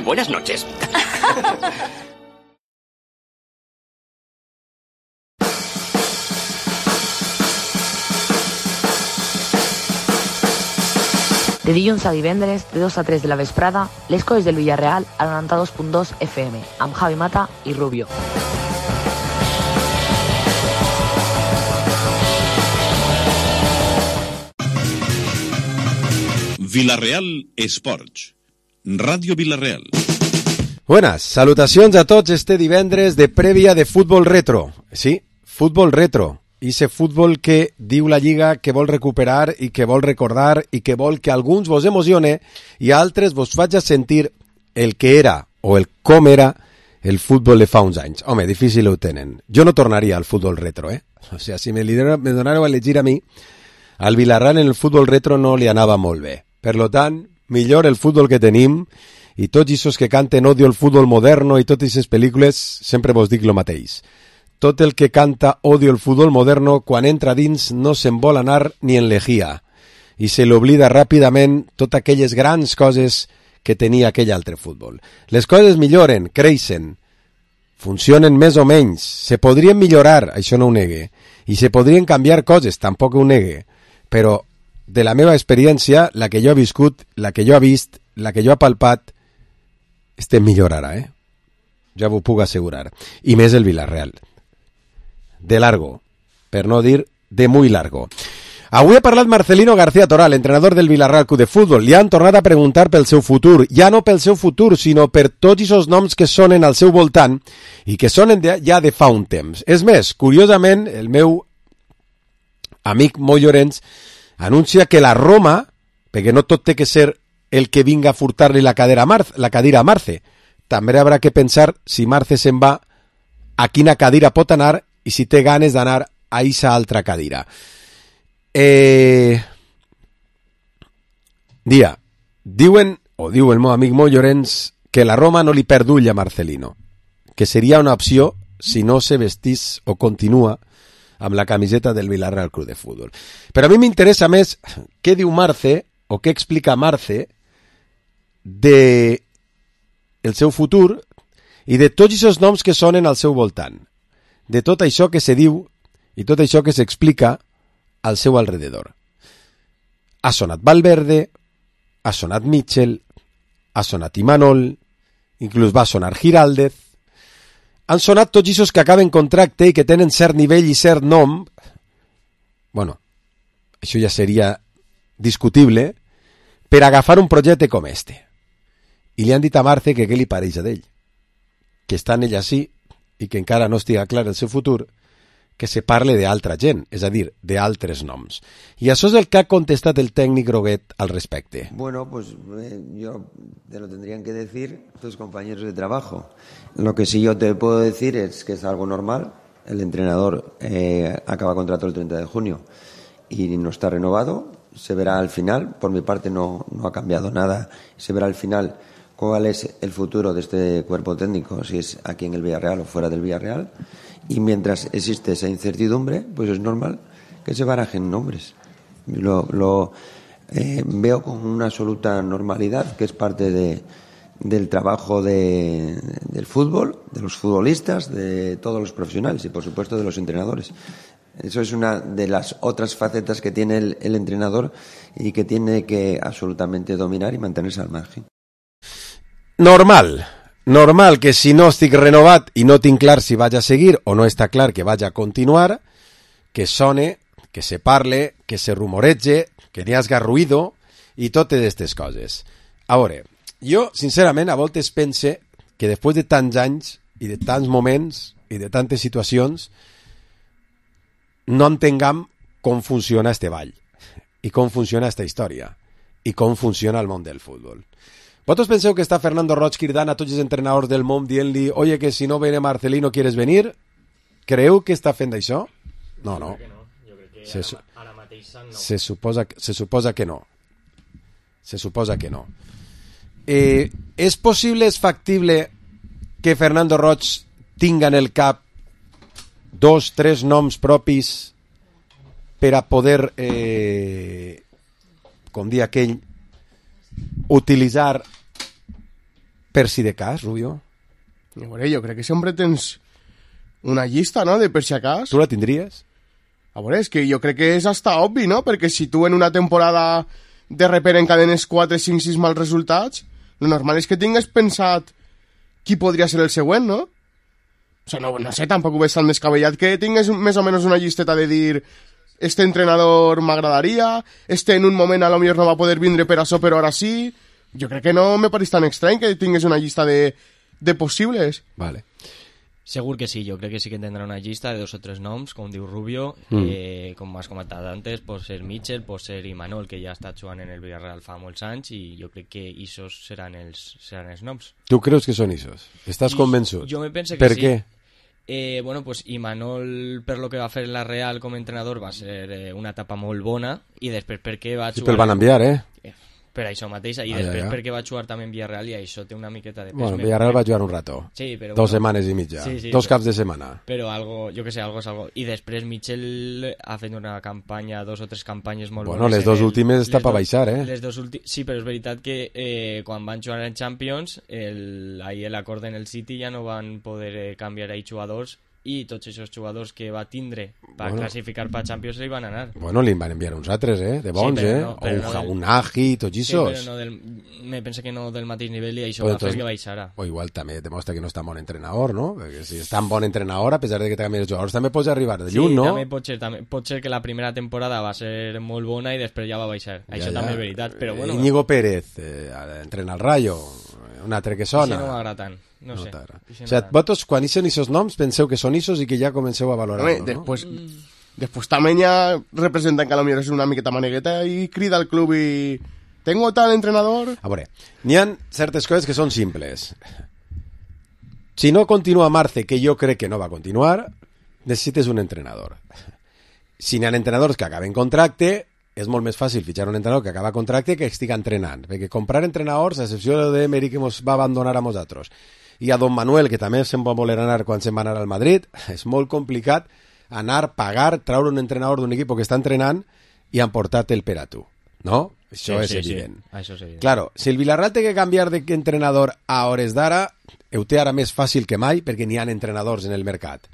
Buenas noches. De dilluns a divendres, de 2 a 3 de la vesprada, les coses del Villarreal al 92.2 FM, amb Javi Mata i Rubio. Villarreal Esports. Ràdio Villarreal. Buenas, salutacions a tots este divendres de prèvia de futbol retro. Sí, futbol retro. Ese futbol que diu la Lliga que vol recuperar i que vol recordar i que vol que alguns vos emocione i a altres vos faig sentir el que era o el com era el futbol de fa uns anys. Home, difícil ho tenen. Jo no tornaria al futbol retro, O sea, si me donareu a elegir a mi, al Villarreal en el futbol retro no li anava molt bé. Per lo tant, millor el futbol que tenim i tots aquests que canten odio el futbol moderno i totes aquestes pel·lícules, sempre vos dic lo mateix. Tot el que canta odio el futbol moderno, quan entra dins no se'n vol anar ni en lejía i se l'oblida ràpidament totes aquelles grans coses que tenia aquell altre futbol. Les coses milloren, creixen, funcionen més o menys, se podrien millorar, això no ho negue, i se podrien canviar coses, tampoc ho negue, però de la meva experiència, la que jo he viscut, la que jo he vist, la que jo he palpat, estem millor ara, Ja ho puc assegurar. I més el Villarreal. De largo, per no dir de muy largo. Avui ha parlat Marcelino García Toral, entrenador del Villarreal Club de Futbol. Li han tornat a preguntar pel seu futur. Ja no pel seu futur, sinó per tots aquests noms que sonen al seu voltant i que sonen ja de fa un temps. És més, curiosament, el meu amic Moi Llorenç anuncia que la Roma, perquè no tot té que ser el que vinga a furtar-li la cadira a Marce, també haurà que pensar si Marce se'n va a quina cadira pot anar i si té ganes d'anar a aquesta altra cadira. Diu el meu amic Moi Llorenç que la Roma no li perd ull a Marcelino, que seria una opció si no se vestís o continua amb la camiseta del Villarreal Club de Futbol. Però a mi m'interessa més què diu Marce o què explica Marce de el seu futur i de tots aquests noms que sonen al seu voltant, de tot això que se diu i tot això que s'explica al seu alrededor. Ha sonat Valverde, ha sonat Mitchell, ha sonat Imanol, inclús va sonar Giraldez, han sonat tots aquests que acaben contracte i que tenen cert nivell i cert nom. Bueno, això ja seria discutible per agafar un projecte com este. I li han dit a Marce que què li pareix a d'ell, que està en ell així i que encara no estiga clar el seu futur, que se parle d'altra gent, és a dir, d'altres noms. I això és el que ha contestat el tècnic Groguet al respecte. Bueno, pues yo te lo tendrían que decir tus compañeros de trabajo. Lo que sí yo te puedo decir es que es algo normal. El entrenador acaba contrato el 30 de junio y no está renovado. Se verá al final. Por mi parte no ha cambiado nada. Se verá al final cuál es el futuro de este cuerpo técnico, si es aquí en el Villarreal o fuera del Villarreal. Y mientras existe esa incertidumbre, pues es normal que se barajen nombres. Lo veo con una absoluta normalidad, que es parte del trabajo del fútbol, de los futbolistas, de todos los profesionales y, por supuesto, de los entrenadores. Eso es una de las otras facetas que tiene el entrenador y que tiene que absolutamente dominar y mantenerse al margen. Normal que si no estic renovat i no tinc clar si vaig a seguir o no està clar que vaig a continuar, que sone, que se parle, que se rumorege, que n'hi hagi ruïdo i totes aquestes coses. A veure, jo, sincerament, a voltes pense que després de tants anys i de tants moments i de tantes situacions no entenguem com funciona este ball i com funciona esta història i com funciona el món del futbol. ¿Vosotros penseu que està Fernando Roig cridant a tots els entrenadors del món dient-li oye, que si no viene Marcelino, ¿quieres venir? Creu que està fent això? No. Jo crec que ara mateix no. Se suposa que no. És possible, és factible que Fernando Roig tinga en el cap 2, 3 noms propis per a poder, com dir aquell, utilitzar per si de cas, Rubio? A veure, jo crec que sempre tens una llista, no?, de per si acas. Tu la tindries? A veure, és que jo crec que és hasta obvi, no?, perquè si tu en una temporada de repente encadenes 4, 5, 6 mals resultats, lo normal és que tingues pensat qui podria ser el següent, no? O sea, no sé, tampoc ho veig tan descabellat que tingues més o menys una llisteta de dir este entrenador m'agradaria, este en un moment a lo millor no va poder vindre per això, però ara sí. Jo crec que no me pareix tan estrany que tingues una llista de possibles. Vale. Segur que sí, jo crec que sí que tindrà una llista de 2 o 3 noms, com diu Rubio, com has comentat antes, pot ser Mitchell, pot ser Imanol, que ja ha estat jugant en el Villarreal fa molts anys, i jo crec que isos seran els noms. Tu creus que són isos? Estàs convençut? Jo me pense que per sí. Què? Bueno, pues Imanol, per lo que va fer en la Real com a entrenador, va ser una etapa molt bona, i després perquè va jugar... Sí, pel van enviar, per això mateix, i després perquè va jugar també en Villarreal, i això té una miqueta de pes. Bueno, Villarreal va jugar un rato. Sí, però... 2 setmanes i mitja. Sí, 2 caps de setmana. Però algo, jo que sé, algo és algo. I després Mitchell ha fet una campanya, 2 o 3 campanyes molt bones. Bueno, les 2 últimes està per baixar, Sí, però és veritat que quan van jugar en Champions, ahir l'acord en el City ja no van poder canviar ahí jugadors, i tots aquests jugadors que va tindre per classificar per Champions li van anar. Bueno, li van enviar uns altres, de bons, un Agi, tots aquests. Sí, però me penso que no del mateix nivell, i això va fer que baixara. O igual també demostra que no és tan bon entrenador, no? Perquè si és tan bon entrenador, a pesar de que te canvien els jugadors, també pots arribar de lluny, no? Sí, també pot ser que la primera temporada va ser molt bona i després ja va baixar. Això també és veritat, però bueno... Íñigo Pérez, entrena el Rayo, un altre que sona... Això no m'agrada tant. No sé. O sigui, vosaltres, quan ixen aquests noms, penseu que són isos i que ja comenceu a valorar-lo, no? Després també ja representen que a lo millor és una miqueta manegueta i crida al club i... Tengo tal entrenador... A veure, n'hi ha certes coses que són simples. Si no continua Marce, que jo crec que no va continuar, necessites un entrenador. Si n'hi ha entrenadors que acaben contracte, és molt més fàcil fitxar un entrenador que acaba contracte que estigui entrenant, perquè comprar entrenadors, a excepció d'Emery que ens va abandonar a nosaltres, i a Don Manuel, que també se'n va voler anar quan se'n va anar al Madrid, és molt complicat anar, pagar, traure un entrenador d'un equip que està entrenant i emportar-te el per a tu, no? Això és evident. Sí. Això és evident. Claro, si el Villarreal té que canviar d'entrenador a hores d'ara, ho té ara més fàcil que mai perquè n'hi ha entrenadors en el mercat.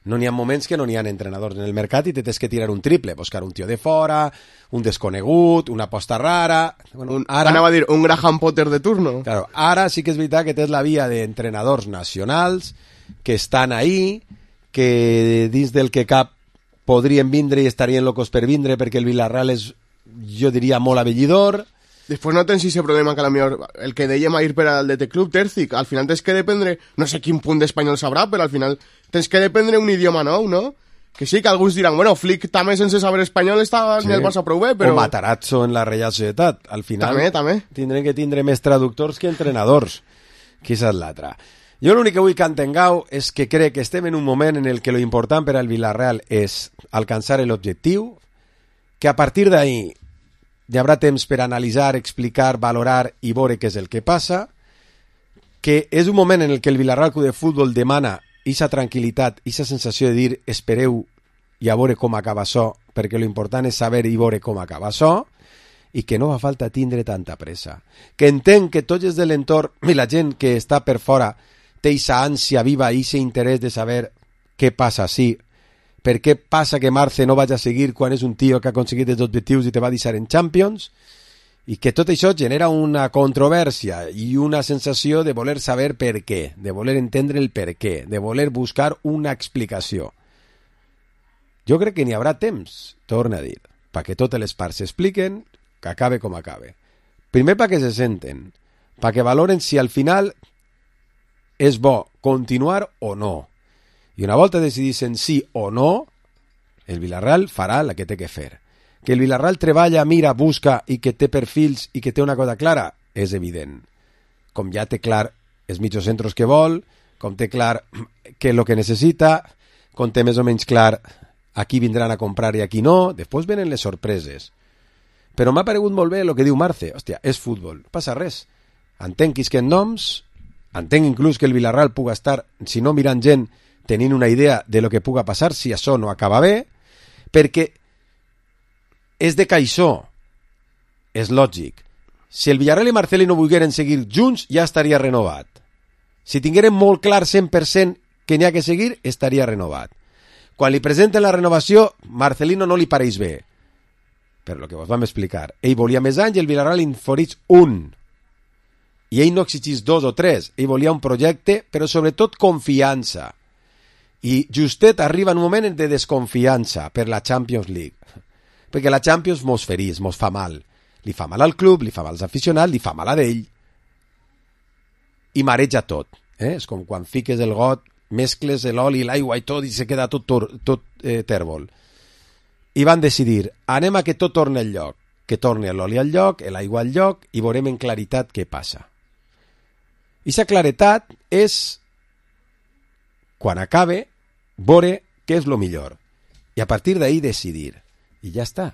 No n'hi ha moments que no n'hi ha entrenadors en el mercat i te tens que tirar un triple, buscar un tio de fora, un desconegut, una aposta rara... Bueno, anava a dir, un Graham Potter de turno. Claro, ara sí que és veritat que tens la via d'entrenadors nacionals que estan ahí, que dins del que cap podrien vindre i estarien locos per vindre perquè el Villarreal és, jo diria, molt avellidor. Després no tens aquest problema que a la millor el que dèiem a ir per al DT Club, Terzic, al final tens que dependre, no sé quin punt d'espanyol sabrà, però al final tens que dependre un idioma nou, no? Que sí, que alguns diran, bueno, Flick també sense saber espanyol està ni el Barça prou bé, però... O Matarazzo en la Real Societat, al final... També. Tindrem que tindre més traductors que entrenadors, que és l'altra. Jo l'únic que vull que entengueu és que crec que estem en un moment en el que lo important per al Villarreal és alcançar l'objectiu, que a partir d'ahí hi haurà temps per analitzar, explicar, valorar i veure què és el que passa, que és un moment en el que el Villarreal Club de Futbol demana ixa tranquil·litat, ixa sensació de dir espereu i a veure com acaba això, perquè l'important és saber i veure com acaba això, i que no fa falta tindre tanta pressa. Que entenc que tots els de l'entorn i la gent que està per fora té ixa ànsia viva, ixa interès de saber què passa així, per què passa que Marce no vaig a seguir quan és un tio que ha aconseguit els objectius i te va deixar en Champions, i que tot això genera una controvèrsia i una sensació de voler saber per què, de voler entendre el per què, de voler buscar una explicació. Jo crec que n'hi haurà temps, torna a dir, perquè totes les parts s'expliquen, que acabe com acabe. Primer perquè se senten, perquè valoren si al final és bo continuar o no. I una volta decidissin sí o no, el Villarreal farà la que té que fer. Que el Villarreal treballa, mira, busca i que té perfils i que té una cosa clara, és evident. Com ja té clar els mitjocentros que vol, com té clar què és el que necessita, com té més o menys clar a qui vindran a comprar i a qui no, després venen les sorpreses. Però m'ha paregut molt bé el que diu Marce. Hòstia, és futbol, no passa res. Entenc que isquen noms, entenc inclús que el Villarreal puga estar, si no mirant gent, tenint una idea de lo que puga passar si això no acaba bé, perquè és de caixó, és lògic. Si el Villarreal i Marcelino volgueren seguir junts, ja estaria renovat. Si tingueren molt clar 100% que n'hi ha que seguir, estaria renovat. Quan li presenten la renovació, Marcelino no li pareix bé. Per lo que vos vam explicar. Ell volia més anys i el Villarreal inforeix un. I ell no exigís 2 o 3. Ell volia un projecte, però sobretot confiança. I justet arriba en un moment de desconfiança per la Champions League. Perquè la Champions mos ferís, mos fa mal. Li fa mal al club, li fa mal als aficionats, li fa mal a d'ell. I mareja tot. És com quan fiques el got, mescles l'oli i l'aigua i tot i se queda tot tèrbol. I van decidir, anem a que tot torni al lloc. Que torni l'oli al lloc, l'aigua al lloc i veurem en claritat què passa. I aquesta claretat és, quan acabe, veure què és el millor. I a partir d'ahí decidir. I ja està.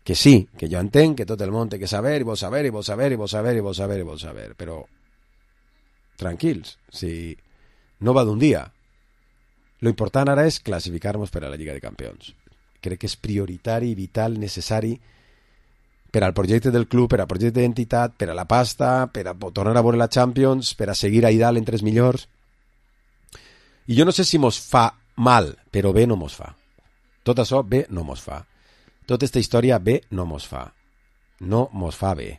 Que sí, que jo entenc que tot el món té que saber, i vol saber, i vol saber, i vol saber, i vol saber, i vol saber, però tranquils, si no va d'un dia. Lo important ara és classificar-nos per a la Lliga de Campions. Crec que és prioritari, vital, necessari per al projecte del club, per al projecte d'entitat, per a la pasta, per a tornar a veure la Champions, per a seguir ahí dalt entre els millors. I jo no sé si mos fa mal, però bé no mos fa. Tot això bé no mos fa. Tota aquesta història bé no mos fa. No mos fa bé.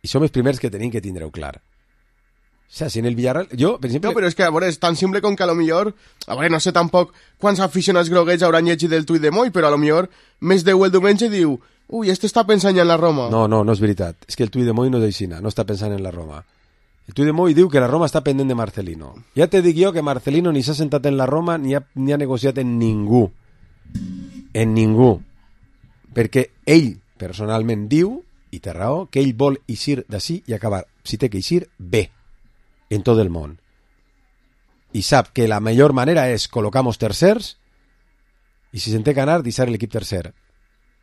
I som els primers que tenim que tindre-ho clar. O sea, si en el Villarreal... Jo, per exemple... No, però és que, a veure, és tan simple com que a lo millor... A veure, no sé tampoc quants aficionats groguets hauran llegit el tuit de Moi, però a lo millor més de el diumenge diu ui, este està pensant ja en la Roma. No, no és veritat. És que el tuit de Moi no és així, no està pensant en la Roma. El tuit de Moi diu que la Roma està pendent de Marcelino. Ja te dic jo que Marcelino ni s'ha sentat en la Roma ni ha negociat en ningú. En ningú. Perquè ell personalment diu, i té raó, que ell vol eixir d'ací i acabar, si té que eixir, bé, en tot el món. I sap que la millor manera és col·locar-nos tercers i si se'n té que anar, deixar l'equip tercer.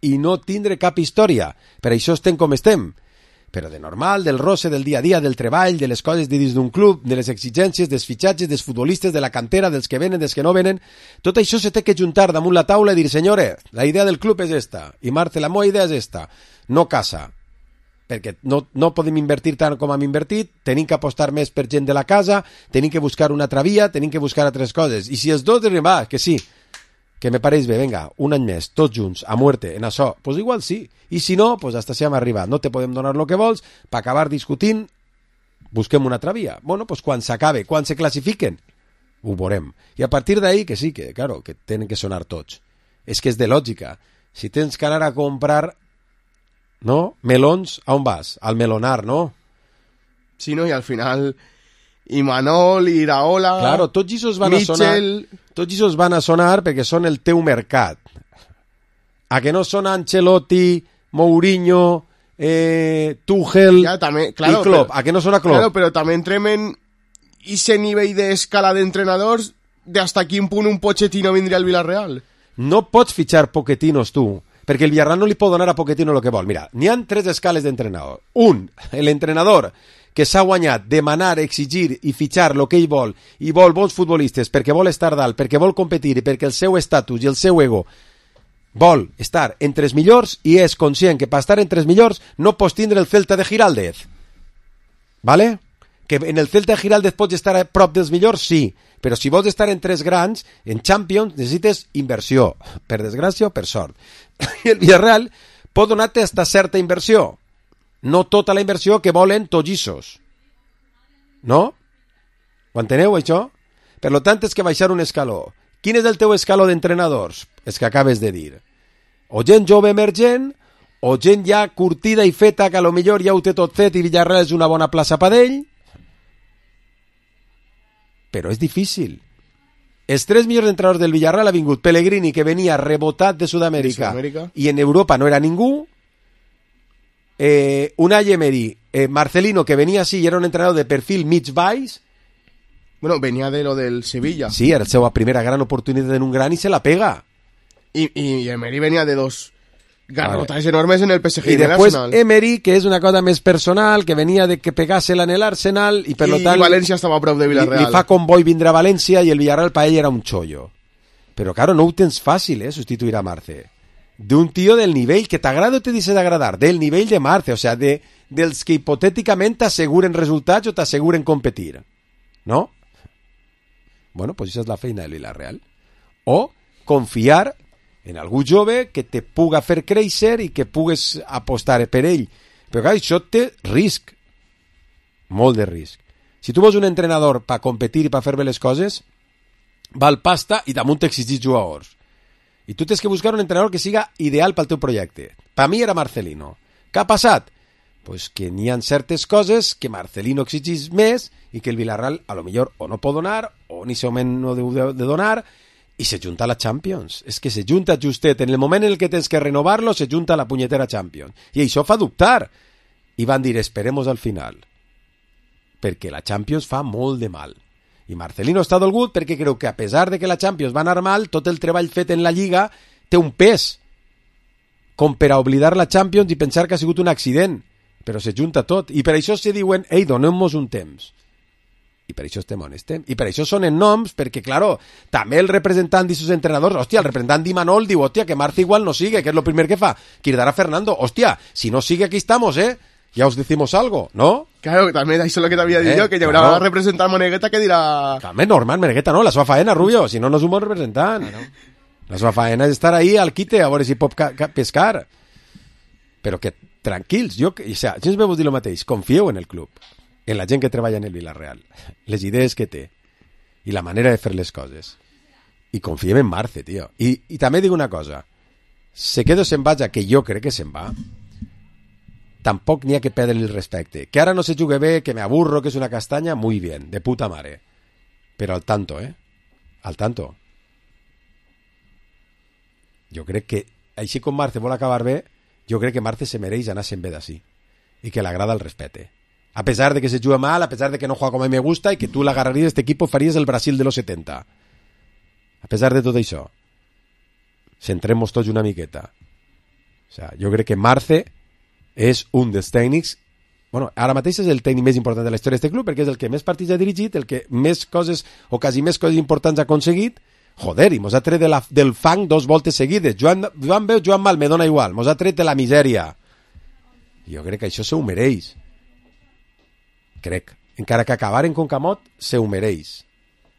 I no tindre cap història. Per això estem com estem. Però de normal, del roce, del dia a dia, del treball, de les coses de dins d'un club, de les exigències, dels fitxatges, dels futbolistes, de la cantera, dels que venen, dels que no venen, tot això se té que juntar damunt la taula i dir, senyores, la idea del club és esta, i Marta, la meva idea és esta, no casa, perquè no podem invertir tant com hem invertit, tenim que apostar més per gent de la casa, tenim que buscar una altra via, tenim que buscar altres coses, i si els dos diuen, va, que sí, que me pareix bé, venga, un any més, tots junts, a muerte, en això, pues igual sí. I si no, pues hasta si hem arribat. No te podem donar lo que vols, per acabar discutint, busquem una altra via. Bueno, pues quan s'acabe, quan se classifiquen, ho veurem. I a partir d'ahí, que sí, que claro, que tenen que sonar tots. És que és de lògica. Si tens que anar a comprar, no, melons, a on vas? Al melonar, no? Sí, no, i al final... I Manol, i Iraola... Claro, tots ells van Mitchell... a sonar... Tots ells van a sonar perquè són el teu mercat. A que no són Ancelotti, Mourinho, Tuchel ja, també, claro, i Klopp. Però, a que no són a Klopp. Claro, però també entrem en ese nivell d'escala d'entrenadors de hasta quin punt un Pochettino vindria al Villarreal. No pots fitxar Pochetinos tu, perquè el Villarreal no li pot donar a Pochettino el que vol. Mira, n'hi ha 3 escales d'entrenador. Un, l'entrenador que s'ha guanyat demanar, exigir i fitxar el que ell vol, i vol bons futbolistes perquè vol estar dalt, perquè vol competir i perquè el seu estatus i el seu ego vol estar entre els millors i és conscient que per estar entre els millors no pots tindre el Celta de Giraldez. ¿Vale? Que en el Celta de Giraldez pots estar a prop dels millors, sí, però si vols estar en 3 grans, en Champions, necessites inversió, per desgràcia o per sort. I el Villarreal pot donar-te hasta certa inversió, no tota la inversió que volen tots issos. No? Ho enteneu, això? Per lo tant, és que baixar un escaló. Quin és el teu escaló d'entrenadors? És que acabes de dir. O gent jove emergent, o gent ja curtida i feta, que a lo millor ja ho té tot fet i Villarreal és una bona plaça per ell. Però és difícil. Els 3 millors entrenadors del Villarreal ha vingut Pellegrini, que venia rebotat de Sud-amèrica, i en Europa no era ningú. Unai Emery, Marcelino, que venia així i era un entrenador de perfil mig baix. Bueno, venía de lo del Sevilla. Sí, era la seva primera gran oportunitat en un gran i se la pega. Y Emery venía de 2 garrotas enormes en el PSG y en después el Arsenal. Emery, que és una cosa més personal, que venia de que pegase-la en el Arsenal i per lo tant... I València estava a prop de Villarreal. Li fa convoi vindre a València i el Villarreal per ell era un xollo. Però claro, no ho tens fàcil, substituir a Marce. d'un tio del nivell, que t'agrada o te deixa d'agradar, del nivell de Marce, o sea, dels que hipotèticament t'asseguren resultats o t'asseguren competir. No? Bueno, pues això és la feina del Villarreal. O confiar en algú jove que te puga fer créixer i que pugues apostar per ell. Però clar, això té risc. Molt de risc. Si tu vols un entrenador per competir i per fer bé les coses, val pasta i damunt t'exigís jugadors. I tu tens que buscar un entrenador que siga ideal pel teu projecte. Per mi era Marcelino. Què ha passat? Pues que n'hi ha certes coses que Marcelino exigís més i que el Villarreal a lo millor o no pot donar o ni segurament no deu de donar i se junta a la Champions. És que se junta justet. En el moment en el que tens que renovar-lo se junta a la punyetera Champions. I això fa dubtar. I van dir, esperemos al final. Perquè la Champions fa molt de mal. I Marcelino està dolgut perquè creu que a pesar de que la Champions va anar mal, tot el treball fet en la Lliga té un pes com per a oblidar la Champions i pensar que ha sigut un accident, però se junta tot i per això se diuen, ei, donem-nos un temps, i per això estem on estem i per això sonen noms, perquè claro també el representant d'aquests entrenadors, hòstia, el representant d'Imanol diu, hòstia, que Marce igual no sigue, que és el primer que fa, cridar a Fernando, hòstia, si no sigue aquí estamos, ya os decimos algo, ¿no? Claro, també això és el que t'havia dit jo, que hi haurà un representant Monegueta que dirà... També normal, Monegueta no, la seva faena, Rubio, si no, no és un bon representant. La seva faena és estar ahí al quite, a veure si pot pescar. Però que tranquils, jo ens veu dir el mateix, confieu en el club, en la gent que treballa en el Villarreal, les idees que té, i la manera de fer les coses. I confiem en Marce, tio. I també dic una cosa, se queda o se'n vaja, que jo crec que se'n va, tampoc n'hi ha que perdre el respecte. Que ara no se jugue bé, que me aburro, que és una castanya, muy bien, de puta mare. Però al tanto, Al tanto. Jo crec que, així com Marce vol acabar bé, jo crec que Marce se mereix anar-se'n bé d'ací. I que l'agrada el respecte. A pesar de que se juga mal, a pesar de que no juega com a mi me gusta, i que tu l'agarraries d'este equip i faries el Brasil de los 70. A pesar de tot això, centrem-nos tots una miqueta. O sea, jo crec que Marce és un dels tècnics, bueno, ara mateix és el tècnic més important de la història d'aquest club perquè és el que més partits ha dirigit, el que més coses o quasi més coses importants ha aconseguit. Joder, i mos ha tret del fang 2 voltes seguides. Joan bé o Joan mal, me dona igual, mos ha tret de la misèria. Jo crec que això se ho mereix. Crec, encara que acabaren con Camot se ho mereix.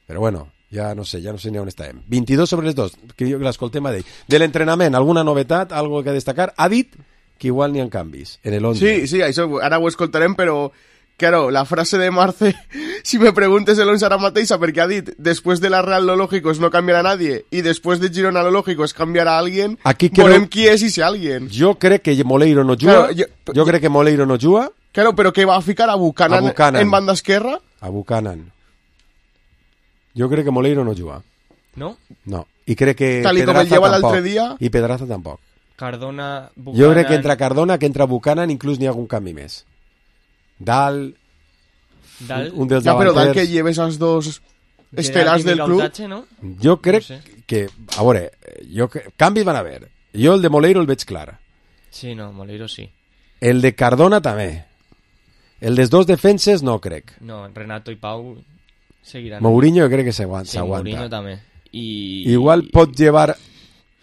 Però bueno, ja no sé ni on estàvem. 22 sobre les 2, que jo l'escoltem a dir. De l'entrenament, alguna novetat, algo que destacar? Ha dit que igual n'hi ha canvis en el 11. Sí, això ara ho escoltarem, però claro, la frase de Marce, si me preguntes el 11 ara mateixa, perquè ha dit, después de la Real lo lógico es no cambiar a nadie, y después de Girona lo lógico es cambiar a alguien, volem qui és ese alguien. Jo crec que Moleiro no juga, claro, jo crec que Moleiro no juga. Claro, però que va a ficar a Buchanan en banda esquerra? A Buchanan. Jo crec que Moleiro no juga. ¿No? No, i crec que tal Pedraza com el lleva tampoc. l'altre dia. I Pedraza tampoc. Cardona, Buchanan... Jo crec que entra Cardona, que entra Buchanan, inclús n'hi ha algun canvi més. Dal... Un dels ja, però Dal davanters... que lleves els dos estelars del club... Tache, ¿no? Jo crec no sé. que... A veure, canvis van haver. Jo el de Moleiro el veig clar. Sí, no, Moleiro sí. El de Cardona també. El dels dos defenses no crec. No, Renato i Pau seguiran. Mourinho jo crec que s'aguanta. Sí, Mourinho també. Igual pot llevar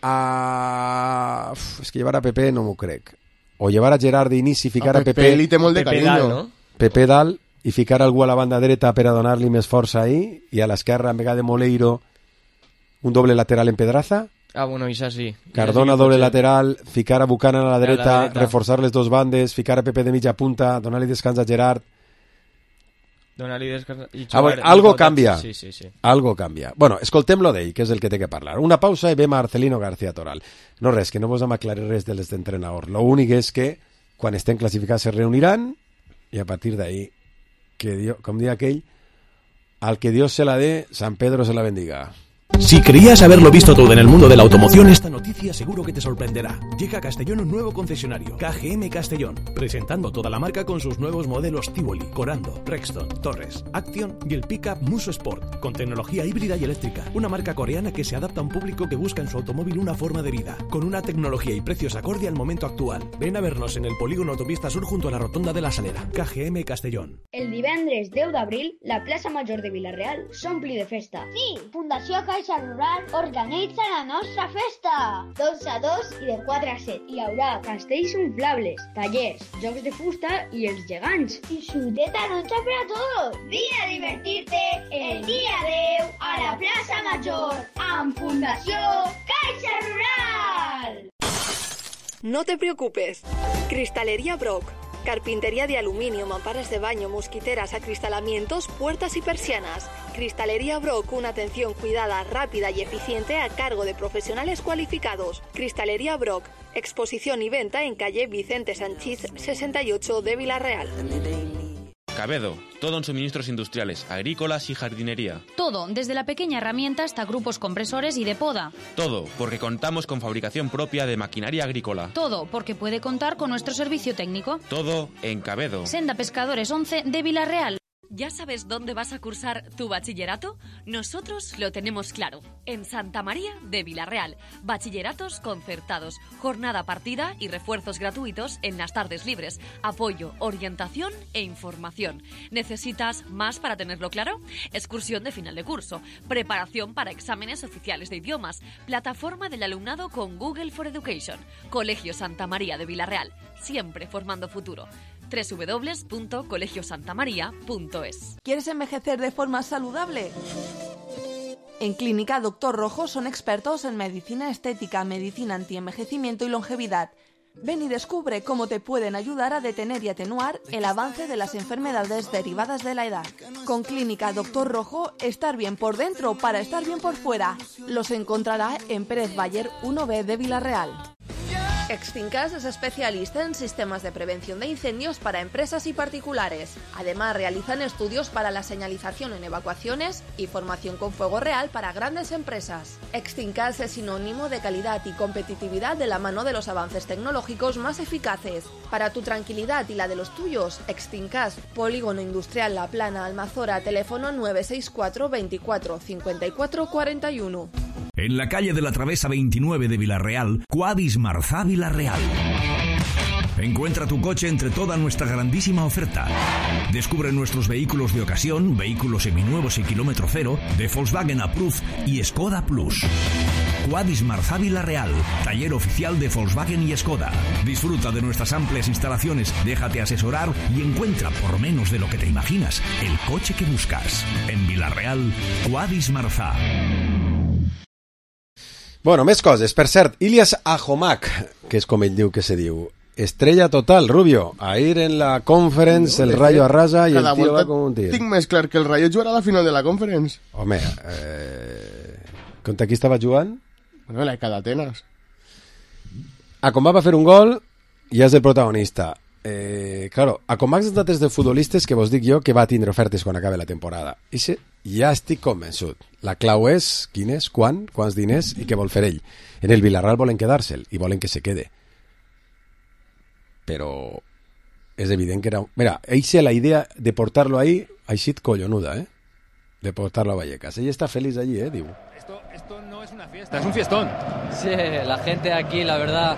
a... és que llevar a Pepe no m'ho crec. O llevar a Gerard d'inici i ficar a Pepe... li té molt de carinyo. Dalt, no? Pepe dalt i ficar algú a la banda dreta per a donar-li més força ahí, i a l'esquerra en vegada de Moleiro un doble lateral en Pedraza. Ah, bueno, això sí. Cardona doble lateral, ficar a Buchanan a la dreta, reforçar les dos bandes, ficar a Pepe de mitja punta, donar-li descans a Gerard. Donar-li descans... Algo canvia. Sí. Algo canvia. Bueno, escoltem-lo d'ell, que és el que té que parlar. Una pausa i ve Marcelino García Toral. No res, que no vos hem aclarit res de l'entrenador. Lo únic és que quan estem classificats se reuniran i a partir d'ahí, que Dios, com diu aquell, al que Dios se la dé, San Pedro se la bendiga. Si creías haberlo visto todo en el mundo de la automoción, esta noticia seguro que te sorprenderá. Llega a Castellón un nuevo concesionario, KGM Castellón, presentando toda la marca con sus nuevos modelos Tivoli, Corando, Rexton, Torres, Action y el pickup Muso Sport, con tecnología híbrida y eléctrica. Una marca coreana que se adapta a un público que busca en su automóvil una forma de vida, con una tecnología y precios acorde al momento actual. Ven a vernos en el polígono Autopista Sur junto a la Rotonda de la Salera. KGM Castellón. El divendres 10 d'abril, la plaça Major de Vila-real s'ompli de festa. Sí, Fundació Caixa Caixa Rural organitza la nostra festa. D'11 a 2 i de 4 a 7. Hi haurà castells inflables, tallers, jocs de fusta i els gegants. I xuteta noche per a tots. Vine a divertir-te el dia 10 a la plaça Major amb Fundació Caixa Rural. No te preocupes. Cristalería Brock. Carpintería de aluminio, mamparas de baño, mosquiteras, acristalamientos, puertas y persianas. Cristalería Brock, una atención cuidada, rápida y eficiente a cargo de profesionales cualificados. Cristalería Brock, exposición y venta en calle Vicente Sanchís 68 de Villarreal. Cabedo, todo en suministros industriales, agrícolas y jardinería. Todo, desde la pequeña herramienta hasta grupos compresores y de poda. Todo, porque contamos con fabricación propia de maquinaria agrícola. Todo, porque puede contar con nuestro servicio técnico. Todo en Cabedo. Senda Pescadores 11 de Villarreal. ¿Ya sabes dónde vas a cursar tu bachillerato? Nosotros lo tenemos claro. En Santa María de Villarreal. Bachilleratos concertados, jornada partida y refuerzos gratuitos en las tardes libres. Apoyo, orientación e información. ¿Necesitas más para tenerlo claro? Excursión de final de curso. Preparación para exámenes oficiales de idiomas. Plataforma del alumnado con Google for Education. Colegio Santa María de Villarreal. Siempre formando futuro. www.colegiosantamaria.es. ¿Quieres envejecer de forma saludable? En Clínica Dr. Rojo son expertos en medicina estética, medicina antienvejecimiento y longevidad. Ven y descubre cómo te pueden ayudar a detener y atenuar el avance de las enfermedades derivadas de la edad. Con Clínica Dr. Rojo, estar bien por dentro para estar bien por fuera. Los encontrará en Pérez Bayer 1B de Villarreal. Extincas es especialista en sistemas de prevención de incendios para empresas y particulares. Además, realizan estudios para la señalización en evacuaciones y formación con fuego real para grandes empresas. Extincas es sinónimo de calidad y competitividad de la mano de los avances tecnológicos más eficaces. Para tu tranquilidad y la de los tuyos, Extincas, Polígono Industrial La Plana, Almazora, teléfono 964 24 54 41. En la calle de la Travesa 29 de Villarreal, Quadis Marzá Villarreal. Encuentra tu coche entre toda nuestra grandísima oferta. Descubre nuestros vehículos de ocasión, vehículos seminuevos y kilómetro cero, de Volkswagen Approved y Skoda Plus. Quadis Marzá Villarreal, taller oficial de Volkswagen y Skoda. Disfruta de nuestras amplias instalaciones, déjate asesorar y encuentra, por menos de lo que te imaginas, el coche que buscas. En Villarreal, Quadis Marzá. Bueno, més coses. Per cert, Ilias Ahomak, que és com ell diu que se diu, estrella total, Rubio. Ahir en la Conference, el Rayo arrasa i el tio va com un tir. Tinc més clar que el Rayo jugarà a la final de la Conference. Home, contra qui estava jugant? Bueno, la de Atenas. Acomac va fer un gol i és el protagonista. Claro, Acomac és d'altres de futbolistes que vos dic jo que va tindre ofertes quan acabe la temporada. I ja estic convençut. La clau és quin és, quants diners i què vol fer ell. En el Villarreal volen quedar-se'l i volen que se quede. Però és evident que era... Mira, la idea de portarlo ahí ha sido collonuda, de portarlo a Vallecas. Ella está feliz allí, digo. Esto no es una fiesta, es un fiestón. Sí, la gente aquí, la verdad,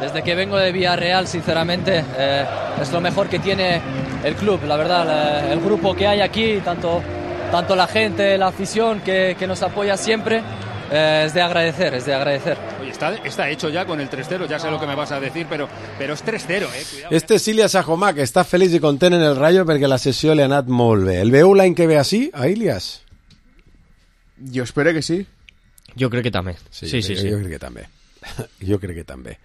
desde que vengo de Villarreal, sinceramente, es lo mejor que tiene el club, la verdad, el grupo que hay aquí, tanto la gente, la afición que nos apoya siempre, es de agradecer, Oye, está hecho ya con el 3-0, ya sé lo que me vas a decir, pero es 3-0, cuidado. Este és Ilias Ahomak, que està feliç i content en el Rayo perquè la sessió li ha anat molt bé. El veu l'any que ve així, a Ilias? Jo espero que sí. Jo crec que també. Sí. Jo crec que també. Jo crec que també.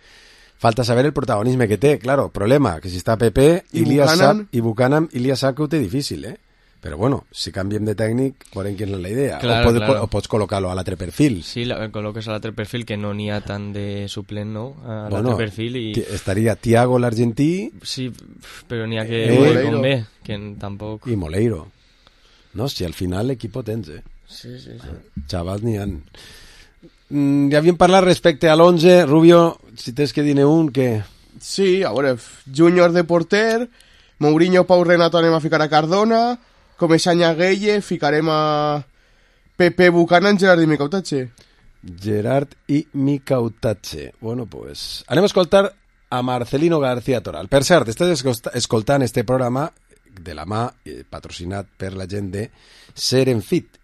Falta saber el protagonisme que té, claro, problema, que si està Pepe, Ilias sap, i Buchanan, Ilias sap que ho té difícil, Però bueno, si canviem de tècnic, veurem quina és la idea. Claro, o pots col·locar-lo a l'altre perfil. Sí, col·loques a l'altre perfil, que no n'hi ha tant de suplent, no? A l'altre perfil i... Estaria Thiago, l'argentí... Sí, però n'hi ha que... Convé, que tampoc... I Moleiro. No, si al final l'equip tens, Sí. Xavals n'hi ha... Ja havíem parlat respecte a l'11, Rubio, si tens que dir-ne un, que... Sí, a veure, Júnior de porter, Mourinho, Pau Renato anem a ficar a Cardona, Comesaña Gueye, ficarem a Pepe, Buchanan, Gerard i Micautache. Gerard i Micautache. Bueno, pues anem a escoltar a Marcelino García Toral. Per cert, estàs escoltant este programa de la mà patrocinat per la gent de Serenfit,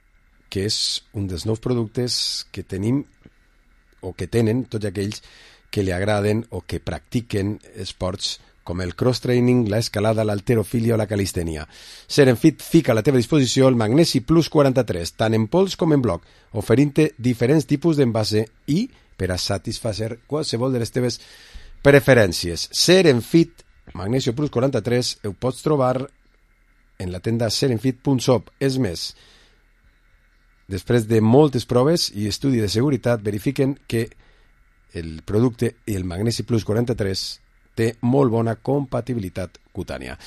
que és un dels nous productes que tenim o que tenen tots aquells que li agraden o que practiquen esports com el cross-training, l'escalada, l'halterofilia o la calistènia. Serenfit fica a la teva disposició el Magnesi Plus 43, tant en pols com en bloc, oferint-te diferents tipus d'envase i per a satisfacer qualsevol de les teves preferències. Serenfit Magnesio Plus 43 ho pots trobar en la tenda serenfit.shop. És més, després de moltes proves i estudi de seguretat, verifiquen que el producte i el Magnesi Plus 43 té molt bona compatibilitat cutània.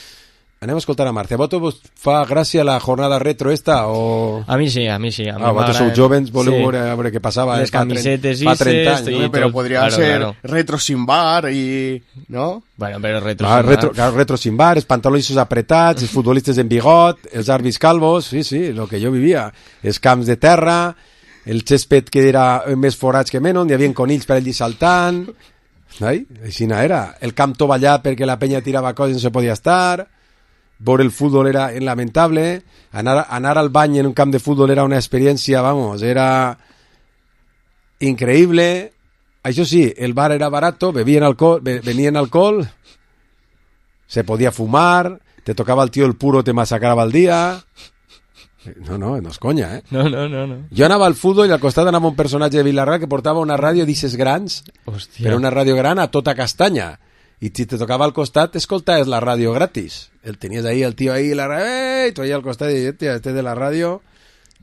Anem a escoltar a Marce. A vosaltres fa gràcia la jornada retro esta o...? A mi sí. Vosaltres sou jovens, voleu veure què passava les camisetes fa 30 anys. No? Però podria ser retro sin bar i... ¿no? Bueno, però retro sin bar, els pantalons apretats, els futbolistes en bigot, els àrbits calvos, sí, el que jo vivia. Els camps de terra, el césped que era més forats que menys, hi havia conills per allí saltant... Així era. El camp tovallat perquè la penya tirava coses i no se podia estar. Veure el futbol era lamentable. Anar al bany en un camp de futbol era una experiència, era increïble. Això sí, el bar era barato, venien alcohol, se podia fumar, te tocava el tio el puro, te massacrava el dia... No és conya, No. Jo anava al futbol i al costat anava un personatge de Vilarreal que portava una ràdio d'ixes grans, però una ràdio gran a tota castanya. I si te tocava al costat, escoltaves la ràdio gratis. Tenies ahí el tio ahí, la ràdio, i tu ahí al costat i este de la ràdio,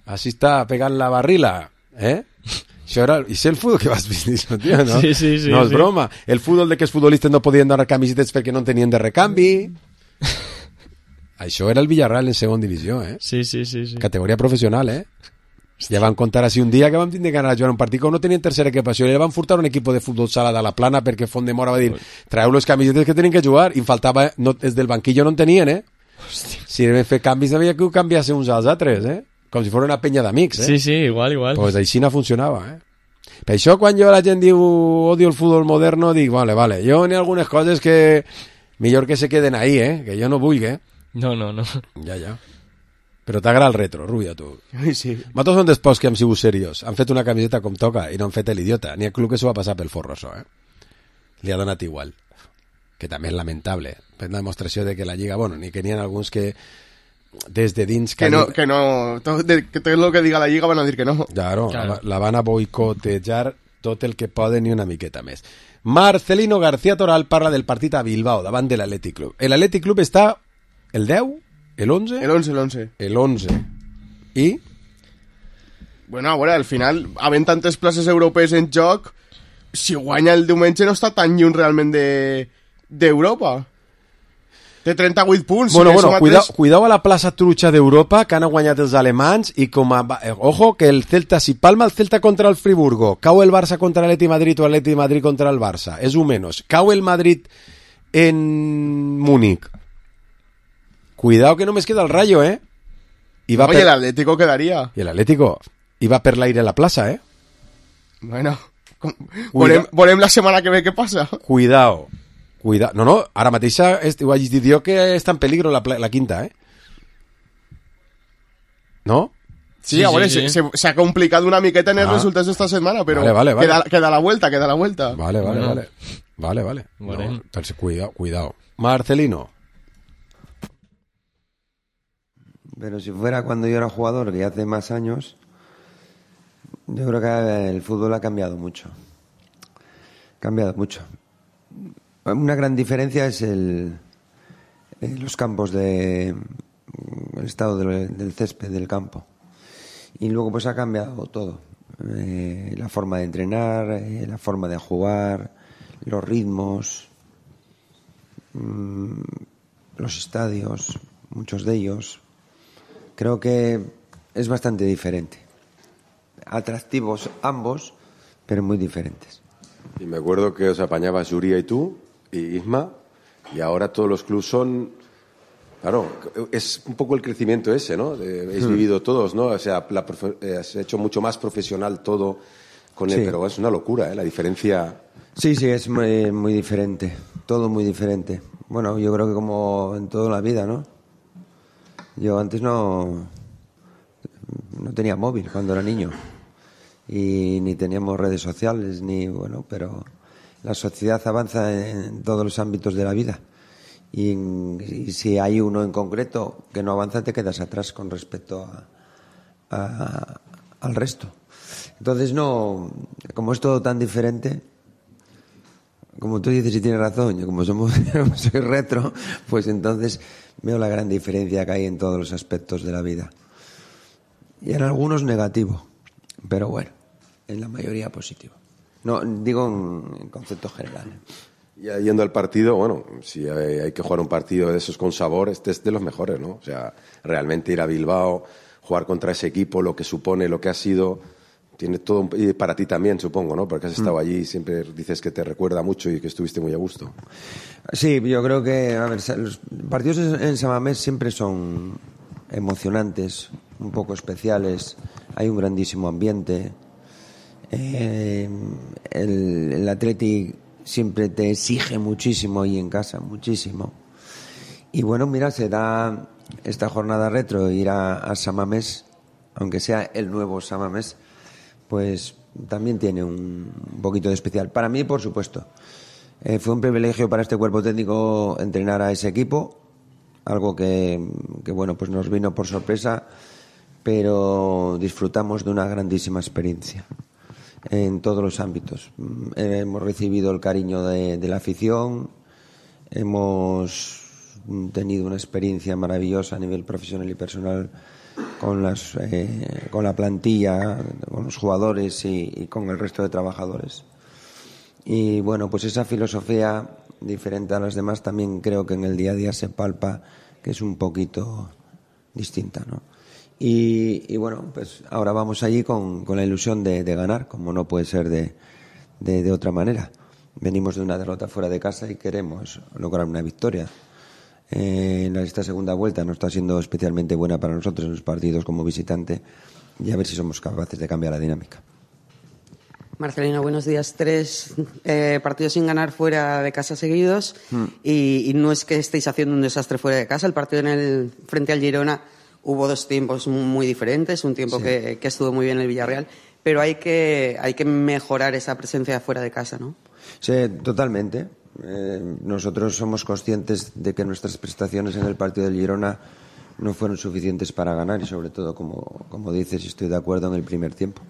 així està pegant la barrila, Això era... I sé el futbol que vas vist, tio, no? Sí. No és broma. El futbol de que els futbolistes no podien donar camisetes perquè no tenien de recanvi... Això era el Villarreal en segona divisió, Sí. Categoria professional, Ja van contar així un dia que vam tindre que anar a jugar un partit que no tenien tercera equipació i van furtar un equip de futbol sala de la Plana perquè Font de Mora va dir traeu les camisetes que tenen que jugar i em faltava, des del banquillo no en tenien, Si vam fer canvis havia que ho canviasse uns als altres, com si fos una penya d'amics, Sí, igual. Pues així no funcionava, Per això quan la gent diu odio el futbol moderno, dic, vale, jo n'hi ha algunes coses que millor que se queden ahí, que jo no vull, No. Ja. Però t'agrada el retro, Rubio, tu. Sí. Nosaltres som d'esports que hem sigut seriós. Han fet una camiseta com toca i no han fet l'idiota. N'hi ha club que s'ho va passar pel forro, això, Li ha donat igual. Que també és lamentable. És una demostració de que la Lliga, ni que n'hi ha alguns que des de dins... Que no, tot el que diga la Lliga van a dir que no. Claro. La van a boicotejar tot el que poden i una miqueta més. Marcelino García Toral parla del partit a Bilbao, davant de l'Athletic Club. L'Athletic Club està el 10, el 11? El 11. I? Bueno, a veure, al final, havent tantes places europees en joc, si guanya el diumenge no està tan lluny realment d'Europa. Té 38 punts. Cuidao a la plaça trucha d'Europa, que han guanyat els alemanys, i ojo, que el Celta, si palma el Celta contra el Friburgo, cau el Barça contra l'Atleti Madrid o l'Atleti Madrid contra el Barça, és un menos. Cau el Madrid en Múnich. Cuidado que només queda el Rayo, Y el Atlético quedaría. Y el Atlético iba per l'aire a la plaça, Bueno, volem la setmana que ve què passa. Cuidao. No, ara mateix ho hagis dit jo que està en peligro la quinta, No? Sí, a veure, se ha complicat una miqueta en els resultats d'esta setmana, però vale. Queda la vuelta. Vale. No, entonces, cuidao. Marcelino. Pero si fuera cuando yo era jugador, que hace más años, yo creo que el fútbol ha cambiado mucho. Una gran diferencia es los campos el estado del césped del campo. Y luego pues ha cambiado todo. La forma de entrenar, la forma de jugar, los ritmos, los estadios, muchos de ellos. Creo que es bastante diferente. Atractivos ambos, pero muy diferentes. Y me acuerdo que os apañabas Yuria y tú, y Isma, y ahora todos los clubes son... Claro, es un poco el crecimiento ese, ¿no? Habéis vivido todos, ¿no? O sea, has hecho mucho más profesional todo con él, pero es una locura, la diferencia... Sí, es muy, muy diferente. Todo muy diferente. Bueno, yo creo que como en toda la vida, ¿no? Yo antes no no tenía móvil cuando era niño y ni teníamos redes sociales, pero la sociedad avanza en todos los ámbitos de la vida y si hay uno en concreto que no avanza, te quedas atrás con respecto al resto. Entonces, como es todo tan diferente, como tú dices y tienes razón, yo como soy retro, pues entonces veo la gran diferencia que hay en todos los aspectos de la vida. Y en algunos negativo, pero bueno, en la mayoría positivo. No, digo en concepto general. Ya yendo al partido, bueno, si hay que jugar un partido de esos con sabor, este es de los mejores, ¿no? O sea, realmente ir a Bilbao, jugar contra ese equipo, lo que supone, lo que ha sido, tiene todo, y para ti también, supongo, ¿no? Porque has estado allí y siempre dices que te recuerda mucho y que estuviste muy a gusto. Sí, yo creo que, los partidos en San Mamés siempre son emocionantes, un poco especiales, hay un grandísimo ambiente. El Athletic siempre te exige muchísimo ahí en casa, muchísimo. Y bueno, mira, se da esta jornada retro, ir a San Mamés, aunque sea el nuevo San Mamés, pues también tiene un poquito de especial. Para mí, por supuesto. Fue un privilegio para este cuerpo técnico entrenar a ese equipo, algo que bueno, pues nos vino por sorpresa, pero disfrutamos de una grandísima experiencia en todos los ámbitos. Hemos recibido el cariño de la afición, hemos tenido una experiencia maravillosa a nivel profesional y personal con la plantilla, con los jugadores y con el resto de trabajadores. Y bueno, pues esa filosofía diferente a las demás también creo que en el día a día se palpa que es un poquito distinta, ¿no? Y bueno, pues ahora vamos allí con la ilusión de ganar, como no puede ser de otra manera. Venimos de una derrota fuera de casa y queremos lograr una victoria. Esta segunda vuelta no está siendo especialmente buena para nosotros en los partidos como visitante y a ver si somos capaces de cambiar la dinámica. Marcelino, buenos días. 3 partidos sin ganar fuera de casa seguidos y no es que estéis haciendo un desastre fuera de casa. El partido frente al Girona hubo 2 tiempos muy diferentes, un tiempo que estuvo muy bien el Villarreal, pero hay que mejorar esa presencia fuera de casa, ¿no? Sí, totalmente. Nosotros somos conscientes de que nuestras prestaciones en el partido del Girona no fueron suficientes para ganar y sobre todo, como dices, y estoy de acuerdo, en el primer tiempo.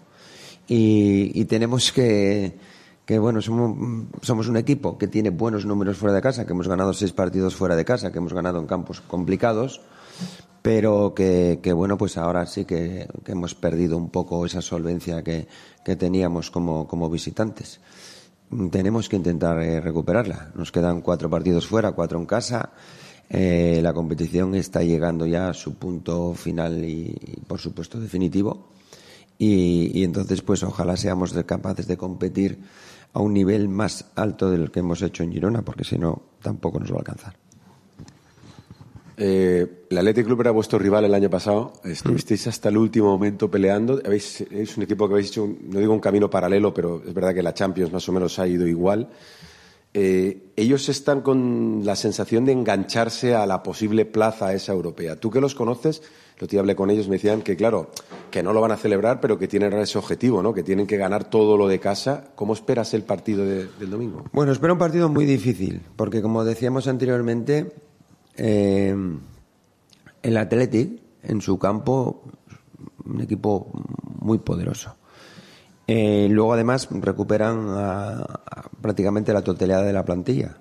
Y tenemos que bueno, somos un equipo que tiene buenos números fuera de casa, que hemos ganado 6 partidos fuera de casa, que hemos ganado en campos complicados, pero que bueno, pues ahora sí que hemos perdido un poco esa solvencia que teníamos como visitantes. Tenemos que intentar recuperarla. Nos quedan 4 partidos fuera, 4 en casa. La competición está llegando ya a su punto final y por supuesto definitivo. Y entonces pues ojalá seamos capaces de competir a un nivel más alto del que hemos hecho en Girona, porque si no tampoco nos va a alcanzar. El Athletic Club era vuestro rival el año pasado, estuvisteis hasta el último momento peleando, es un equipo que habéis hecho, no digo un camino paralelo, pero es verdad que la Champions más o menos ha ido igual. Ellos están con la sensación de engancharse a la posible plaza esa europea. Tú que los conoces, lo que hablé con ellos, me decían que claro, que no lo van a celebrar, pero que tienen ese objetivo, ¿no? Que tienen que ganar todo lo de casa. ¿Cómo esperas el partido del domingo? Bueno, espero un partido muy difícil, porque como decíamos anteriormente, el Athletic en su campo, un equipo muy poderoso. Luego además recuperan prácticamente la totalidad de la plantilla,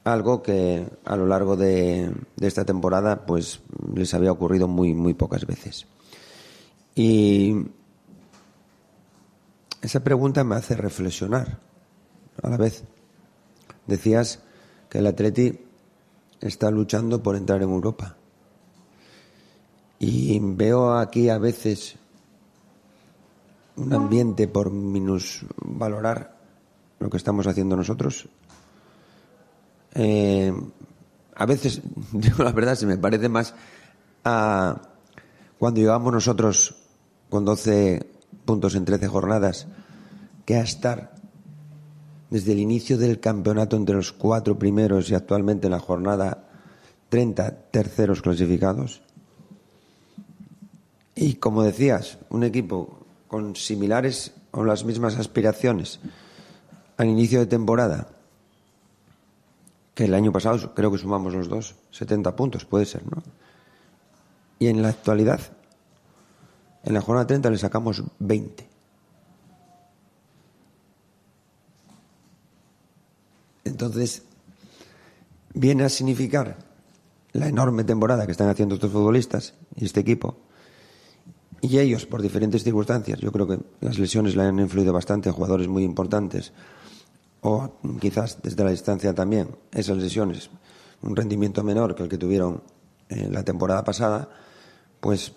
algo que a lo largo de esta temporada pues les había ocurrido muy, muy pocas veces. Y esa pregunta me hace reflexionar a la vez. Decías que el Athletic está luchando por entrar en Europa. Y veo aquí a veces un ambiente por minusvalorar lo que estamos haciendo nosotros. A veces, digo la verdad, se me parece más a cuando llegamos nosotros con 12 puntos en 13 jornadas que a estar desde el inicio del campeonato entre los 4 primeros y actualmente en la jornada 30 terceros clasificados. Y como decías, un equipo con similares o las mismas aspiraciones al inicio de temporada, que el año pasado creo que sumamos los dos 70 puntos, puede ser, ¿no? Y en la actualidad, en la jornada 30 le sacamos 20. Entonces, viene a significar la enorme temporada que están haciendo estos futbolistas y este equipo. Y ellos, por diferentes circunstancias, yo creo que las lesiones le han influido bastante a jugadores muy importantes, o quizás desde la distancia también, esas lesiones, un rendimiento menor que el que tuvieron la temporada pasada, pues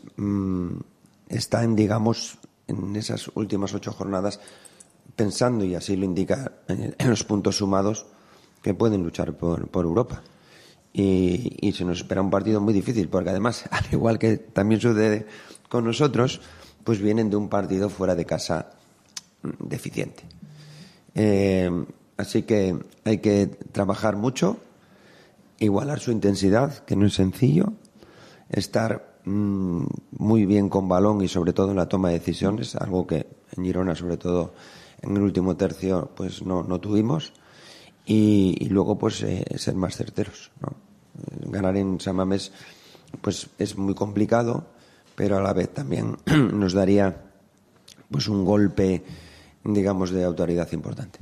están, digamos, en esas últimas 8 jornadas pensando, y así lo indica en los puntos sumados, que pueden luchar por Europa. Y se nos espera un partido muy difícil, porque además, al igual que también sucede con nosotros, pues vienen de un partido fuera de casa deficiente. Así que hay que trabajar mucho, igualar su intensidad, que no es sencillo, estar muy bien con balón y sobre todo en la toma de decisiones, algo que en Girona, sobre todo en el último tercio, pues no tuvimos, y luego pues ser más certeros, ¿no? Ganar en San Mamés pues es muy complicado, pero a la vez también nos daría pues un golpe, digamos, de autoridad importante.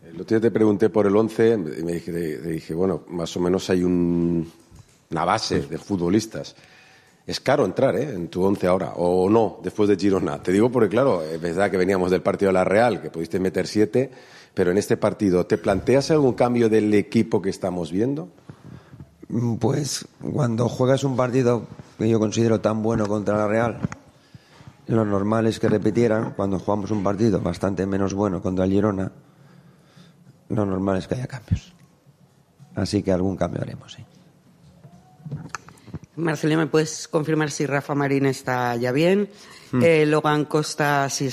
El otro día te pregunté por el 11 y me dije, bueno, más o menos hay una base de futbolistas. Es caro entrar en tu 11 ahora, o no, después de Girona. Te digo porque, claro, es verdad que veníamos del partido de la Real, que pudiste meter 7, pero en este partido, ¿te planteas algún cambio del equipo que estamos viendo? Pues cuando juegas un partido que yo considero tan bueno contra la Real, lo normal es que repitieran. Cuando jugamos un partido bastante menos bueno contra el Girona, lo normal es que haya cambios. Así que algún cambio haremos, sí. Marcelino, ¿me puedes confirmar si Rafa Marín está ya bien? Logan Costa, si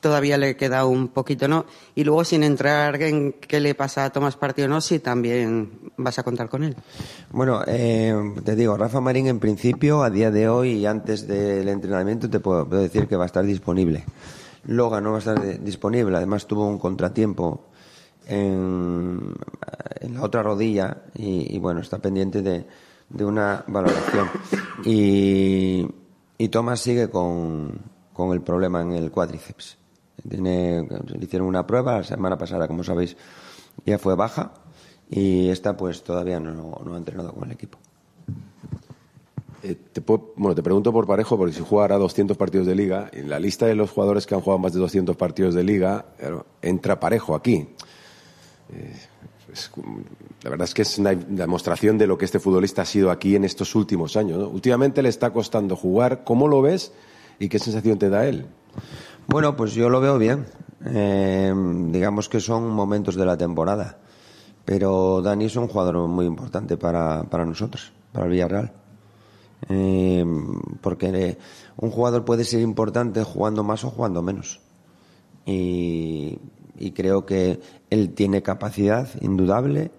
todavía le queda un poquito, ¿no? Y luego, sin entrar en qué le pasa a Tomás Partey o no, si también vas a contar con él. Bueno, te digo, Rafa Marín en principio, a día de hoy y antes del entrenamiento, te puedo decir que va a estar disponible. Logan no va a estar disponible, además tuvo un contratiempo en la otra rodilla y bueno, está pendiente de una valoración. Y Tomás sigue con el problema en el cuádriceps. Le hicieron una prueba la semana pasada, como sabéis, ya fue baja, y esta pues todavía no ha entrenado con el equipo. Te pregunto por Parejo, porque si jugara 200 partidos de Liga, en la lista de los jugadores que han jugado más de 200 partidos de Liga, entra Parejo aquí. La verdad es que es una demostración de lo que este futbolista ha sido aquí en estos últimos años, ¿no? Últimamente le está costando jugar. ¿Cómo lo ves y qué sensación te da él? Bueno, pues yo lo veo bien. Digamos que son momentos de la temporada. Pero Dani es un jugador muy importante para nosotros, para el Villarreal. Porque un jugador puede ser importante jugando más o jugando menos. Y creo que él tiene capacidad indudable.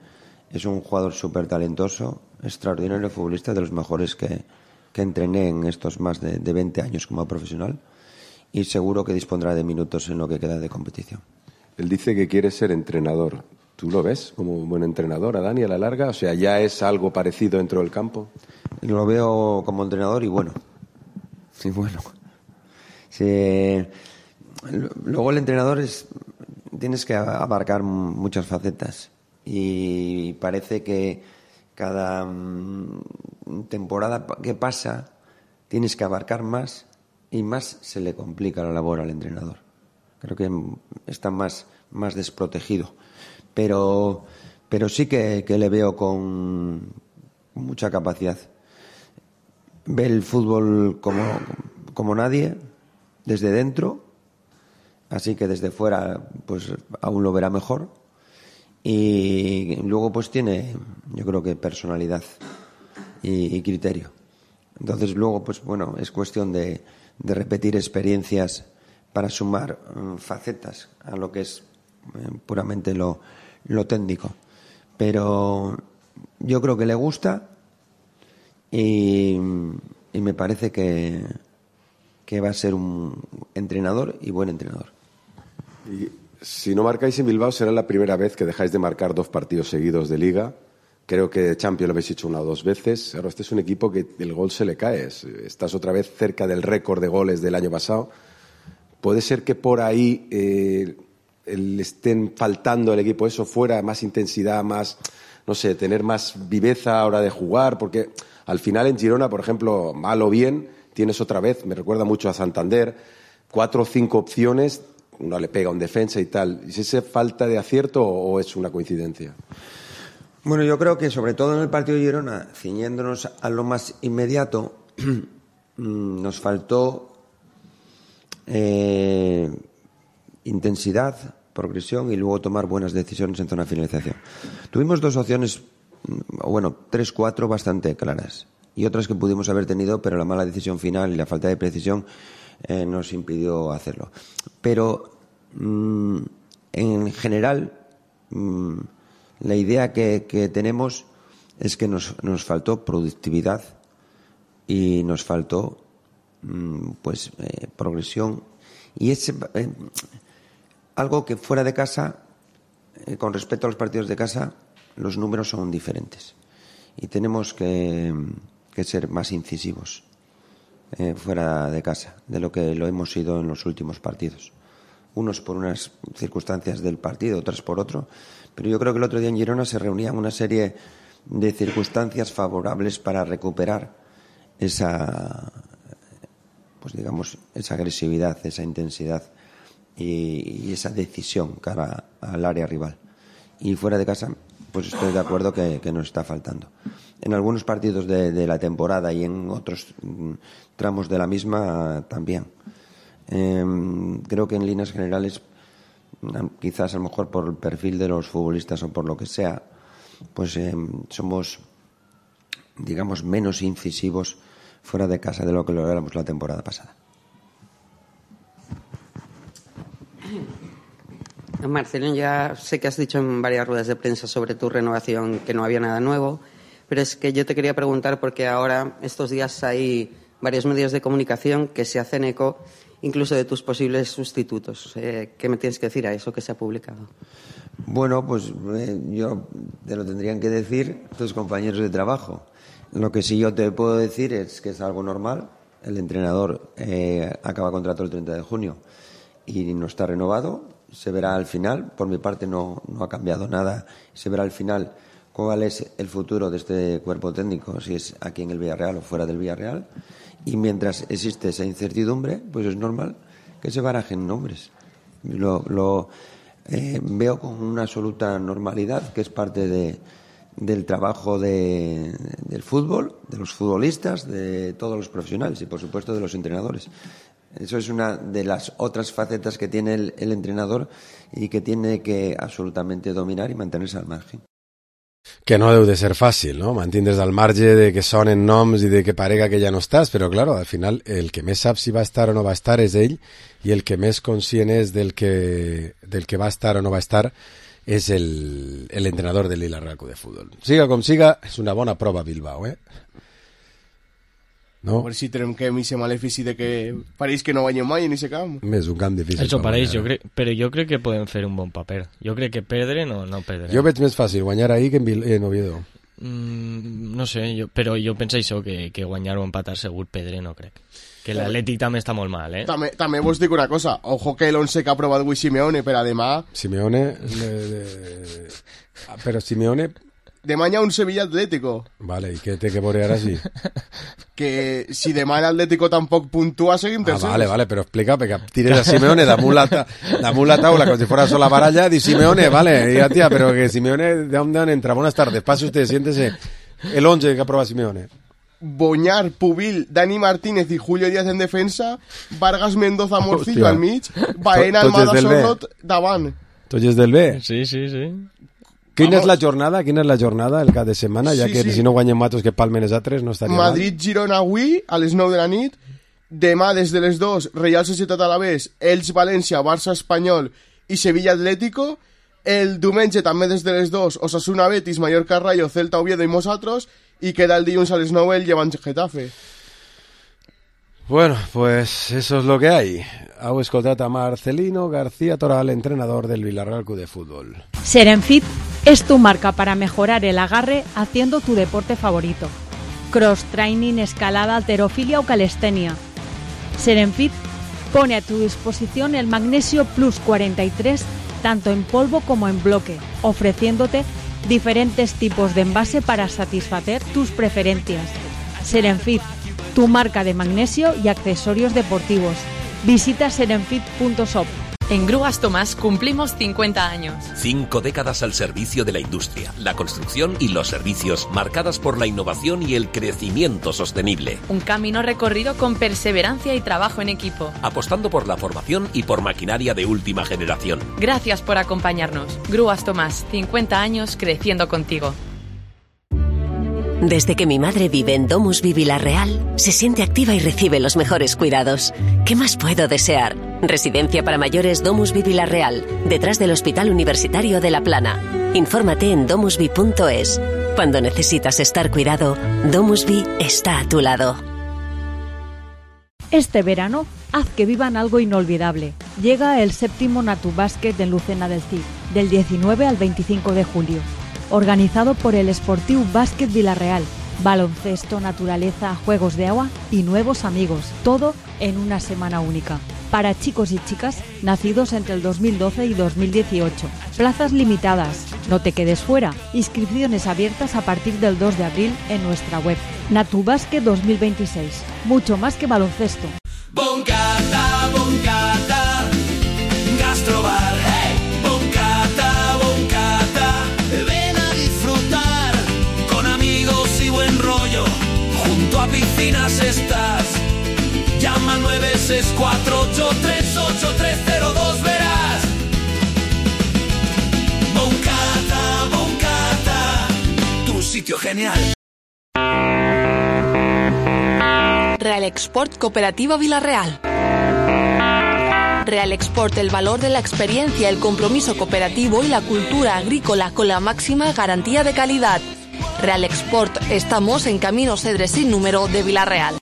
Es un jugador súper talentoso, extraordinario futbolista, de los mejores que entrené en estos más de 20 años como profesional, y seguro que dispondrá de minutos en lo que queda de competición. Él dice que quiere ser entrenador. ¿Tú lo ves como un buen entrenador a Dani a la larga? O sea, ¿ya es algo parecido dentro del campo? Lo veo como entrenador y bueno. Sí, bueno. Sí. Luego el entrenador tienes que abarcar muchas facetas, y parece que cada temporada que pasa tienes que abarcar más y más se le complica la labor al entrenador. Creo que está más desprotegido, pero sí que le veo con mucha capacidad. Ve el fútbol como nadie desde dentro, así que desde fuera pues aún lo verá mejor. Y luego pues tiene, yo creo que personalidad y criterio. Entonces luego pues bueno, es cuestión de repetir experiencias para sumar facetas a lo que es puramente lo técnico. Pero yo creo que le gusta y me parece que que va a ser un entrenador y buen entrenador. Y si no marcáis en Bilbao, será la primera vez que dejáis de marcar 2 partidos seguidos de Liga. Creo que Champions lo habéis hecho 1 o 2 veces. Ahora este es un equipo que el gol se le cae. Estás otra vez cerca del récord de goles del año pasado. ¿Puede ser que por ahí le estén faltando al equipo eso fuera, más intensidad, más, no sé, tener más viveza a la hora de jugar? Porque al final en Girona, por ejemplo, mal o bien, tienes otra vez, me recuerda mucho a Santander, 4 o 5 opciones, uno le pega a un defensa y tal. ¿Es esa falta de acierto o es una coincidencia? Bueno, yo creo que sobre todo en el partido de Girona, ciñéndonos a lo más inmediato, nos faltó intensidad, progresión y luego tomar buenas decisiones en zona de finalización. Tuvimos 2 opciones, bueno, 3, 4 bastante claras y otras que pudimos haber tenido, pero la mala decisión final y la falta de precisión nos impidió hacerlo. Pero en general la idea que tenemos es que nos faltó productividad y nos faltó progresión y es algo que fuera de casa, con respecto a los partidos de casa, los números son diferentes y tenemos que ser más incisivos fuera de casa de lo que lo hemos sido en los últimos partidos. Unos por unas circunstancias del partido, otras por otro, pero yo creo que el otro día en Girona se reunían una serie de circunstancias favorables para recuperar esa, esa agresividad, esa intensidad y esa decisión cara al área rival. Y fuera de casa, pues estoy de acuerdo que nos está faltando. En algunos partidos de la temporada y en otros tramos de la misma también. Creo que en líneas generales, quizás a lo mejor por el perfil de los futbolistas o por lo que sea, pues somos, digamos, menos incisivos fuera de casa de lo que lo éramos la temporada pasada. Marcelino, ya sé que has dicho en varias ruedas de prensa sobre tu renovación que no había nada nuevo, pero es que yo te quería preguntar porque ahora, estos días, hay varios medios de comunicación que se hacen eco incluso de tus posibles sustitutos. ¿Qué me tienes que decir a eso que se ha publicado? Bueno, pues yo te lo tendrían que decir tus compañeros de trabajo. Lo que sí yo te puedo decir es que es algo normal. El entrenador acaba contrato el 30 de junio y no está renovado. Se verá al final. Por mi parte no ha cambiado nada. Se verá al final cuál es el futuro de este cuerpo técnico, si es aquí en el Villarreal o fuera del Villarreal. Y mientras existe esa incertidumbre, pues es normal que se barajen nombres. Lo veo con una absoluta normalidad, que es parte del trabajo del fútbol, de los futbolistas, de todos los profesionales y, por supuesto, de los entrenadores. Eso es una de las otras facetas que tiene el entrenador y que tiene que absolutamente dominar y mantenerse al margen. Que no deu de ser fàcil, no? Mantindre's al marge de que sonen noms i de que parega que ja no estàs, però, claro, al final el que més sap si va estar o no va estar és ell i el que més conscient és del que va estar o no va estar és l'entrenador del Villarreal Club de Futbol. Siga com siga, és una bona prova Bilbao, No? A veure si trenquem aquest malefici de que pareix que no guanyem mai en aquest camp. És un camp difícil. Això pareix, però jo crec que podem fer un bon paper. Jo crec que perdre no perdrem. Jo veig més fàcil guanyar ahir que en Oviedo. No sé, però jo penso això, que guanyar o empatar segur, perdre no crec. Que l'Atlètic també està molt mal, També vos dic una cosa, ojo que l'11 que ha aprovat avui Simeone per a demà... Simeone... Però Simeone... Demà hi ha un Sevilla Atlético. Vale, i què té que veure ara sí? Que si demà l'Atlético tampoc puntua, seguim tercers. Vale, però explica, perquè tires a Simeone damunt la taula, com si fuera sola baralla, di Simeone, vale, ya tía, pero que Simeone, ¿de dónde entra? Buenas tardes, pase usted, siéntese. El 11 que aprueba Simeone. Boñar, Pubil, Dani Martínez y Julio Díaz en defensa, Vargas Mendoza Morcillo al mig, Baena Almada Sorlot davant. Tots és del B? Sí. Quina és la jornada el cap de setmana, ja que si no guanyen matos que palmen els altres no estaria mal. Madrid-Girona avui a les 9 de la nit, demà des de les 2 Real Societat Alavés, Elx-València, Barça-Espanyol i Sevilla-Atlético, el diumenge també des de les 2 Osasuna-Betis, Mallorca-Rayo, Celta-Oviedo i nosaltres, i queda el dilluns a les 9 el Llevant-Getafe. Bueno, pues eso es lo que hay. Heu escoltat a Marcelino García Toral, entrenador del Villarreal Club de Fútbol. Serenfit es tu marca para mejorar el agarre haciendo tu deporte favorito. Cross training, escalada, halterofilia o calistenia. Serenfit pone a tu disposición el Magnesio Plus 43 tanto en polvo como en bloque, ofreciéndote diferentes tipos de envase para satisfacer tus preferencias. Serenfit, tu marca de magnesio y accesorios deportivos. Visita serenfit.shop. En Grúas Tomás cumplimos 50 años. 5 décadas al servicio de la industria, la construcción y los servicios, marcadas por la innovación y el crecimiento sostenible. Un camino recorrido con perseverancia y trabajo en equipo. Apostando por la formación y por maquinaria de última generación. Gracias por acompañarnos. Grúas Tomás, 50 años creciendo contigo. Desde que mi madre vive en Domusvi Villarreal, se siente activa y recibe los mejores cuidados. ¿Qué más puedo desear? Residencia para mayores Domusvi Villarreal, detrás del Hospital Universitario de La Plana. Infórmate en domusvi.es. Cuando necesitas estar cuidado, Domusvi está a tu lado. Este verano, haz que vivan algo inolvidable. Llega el 7º Natubàsquet en Lucena del Cid, del 19 al 25 de julio. Organizado por el Esportiu Bàsquet Villarreal. Baloncesto, naturaleza, juegos de agua y nuevos amigos. Todo en una semana única. Para chicos y chicas nacidos entre el 2012 y 2018. Plazas limitadas. No te quedes fuera. Inscripciones abiertas a partir del 2 de abril en nuestra web. Natubàsquet 2026. Mucho más que baloncesto. Boncata, boncata, gastrobar. Hey, boncata, boncata. Ven a disfrutar con amigos y buen rollo. Junto a piscinas estás. Llama al 964838302, verás. Boncata, boncata, tu sitio genial. Real Export Cooperativa Villarreal. Real Export, el valor de la experiencia, el compromiso cooperativo y la cultura agrícola con la máxima garantía de calidad. Real Export, estamos en Camino Cedre sin número de Villarreal.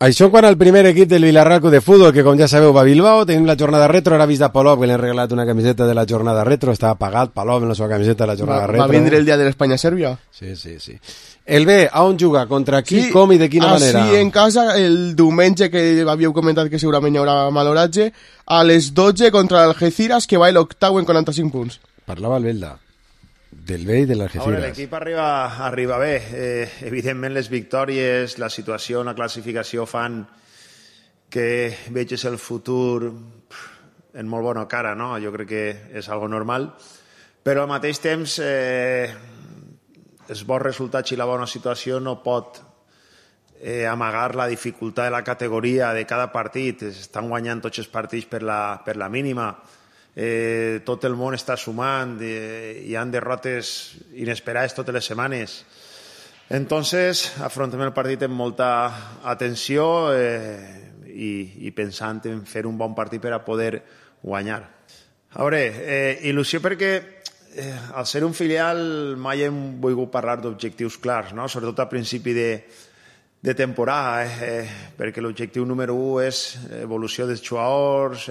Això quan el primer equip del Villarreal Club de Futbol, que com ja sabeu va a Bilbao, tenim la jornada retro, ara vist a Palop, que li han regalat una camiseta de la jornada retro, estava pagat Palop en la seva camiseta de la jornada retro. Va vindre el dia de l'Espanya-Sèrbia? Sí, sí, sí. El B, a on juga? Contra qui, sí, com i de quina manera? Sí, en casa, el diumenge, que havíeu comentat que segurament hi haurà maloratge, a les 12 contra l'Algeciras, que va a l'octau en 45 punts. Parlava el Belda del B i de l'Algeciras. L'equip arriba bé. Evidentment les victòries, la situació, la classificació fan que veges el futur en molt bona cara, no? Jo crec que és algo normal, però al mateix temps els bons resultats i la bona situació no pot amagar la dificultat de la categoria de cada partit. Estan guanyant tots els partits per la mínima. Tot el món està sumant, hi ha derrotes inesperades totes les setmanes. Entonces afrontem el partit amb molta atenció i pensant en fer un bon partit per a poder guanyar. A veure, il·lusió perquè al ser un filial mai hem volgut parlar d'objectius clars, no? Sobretot a principi de temporada, perquè l'objectiu número 1 és evolució dels jugadors,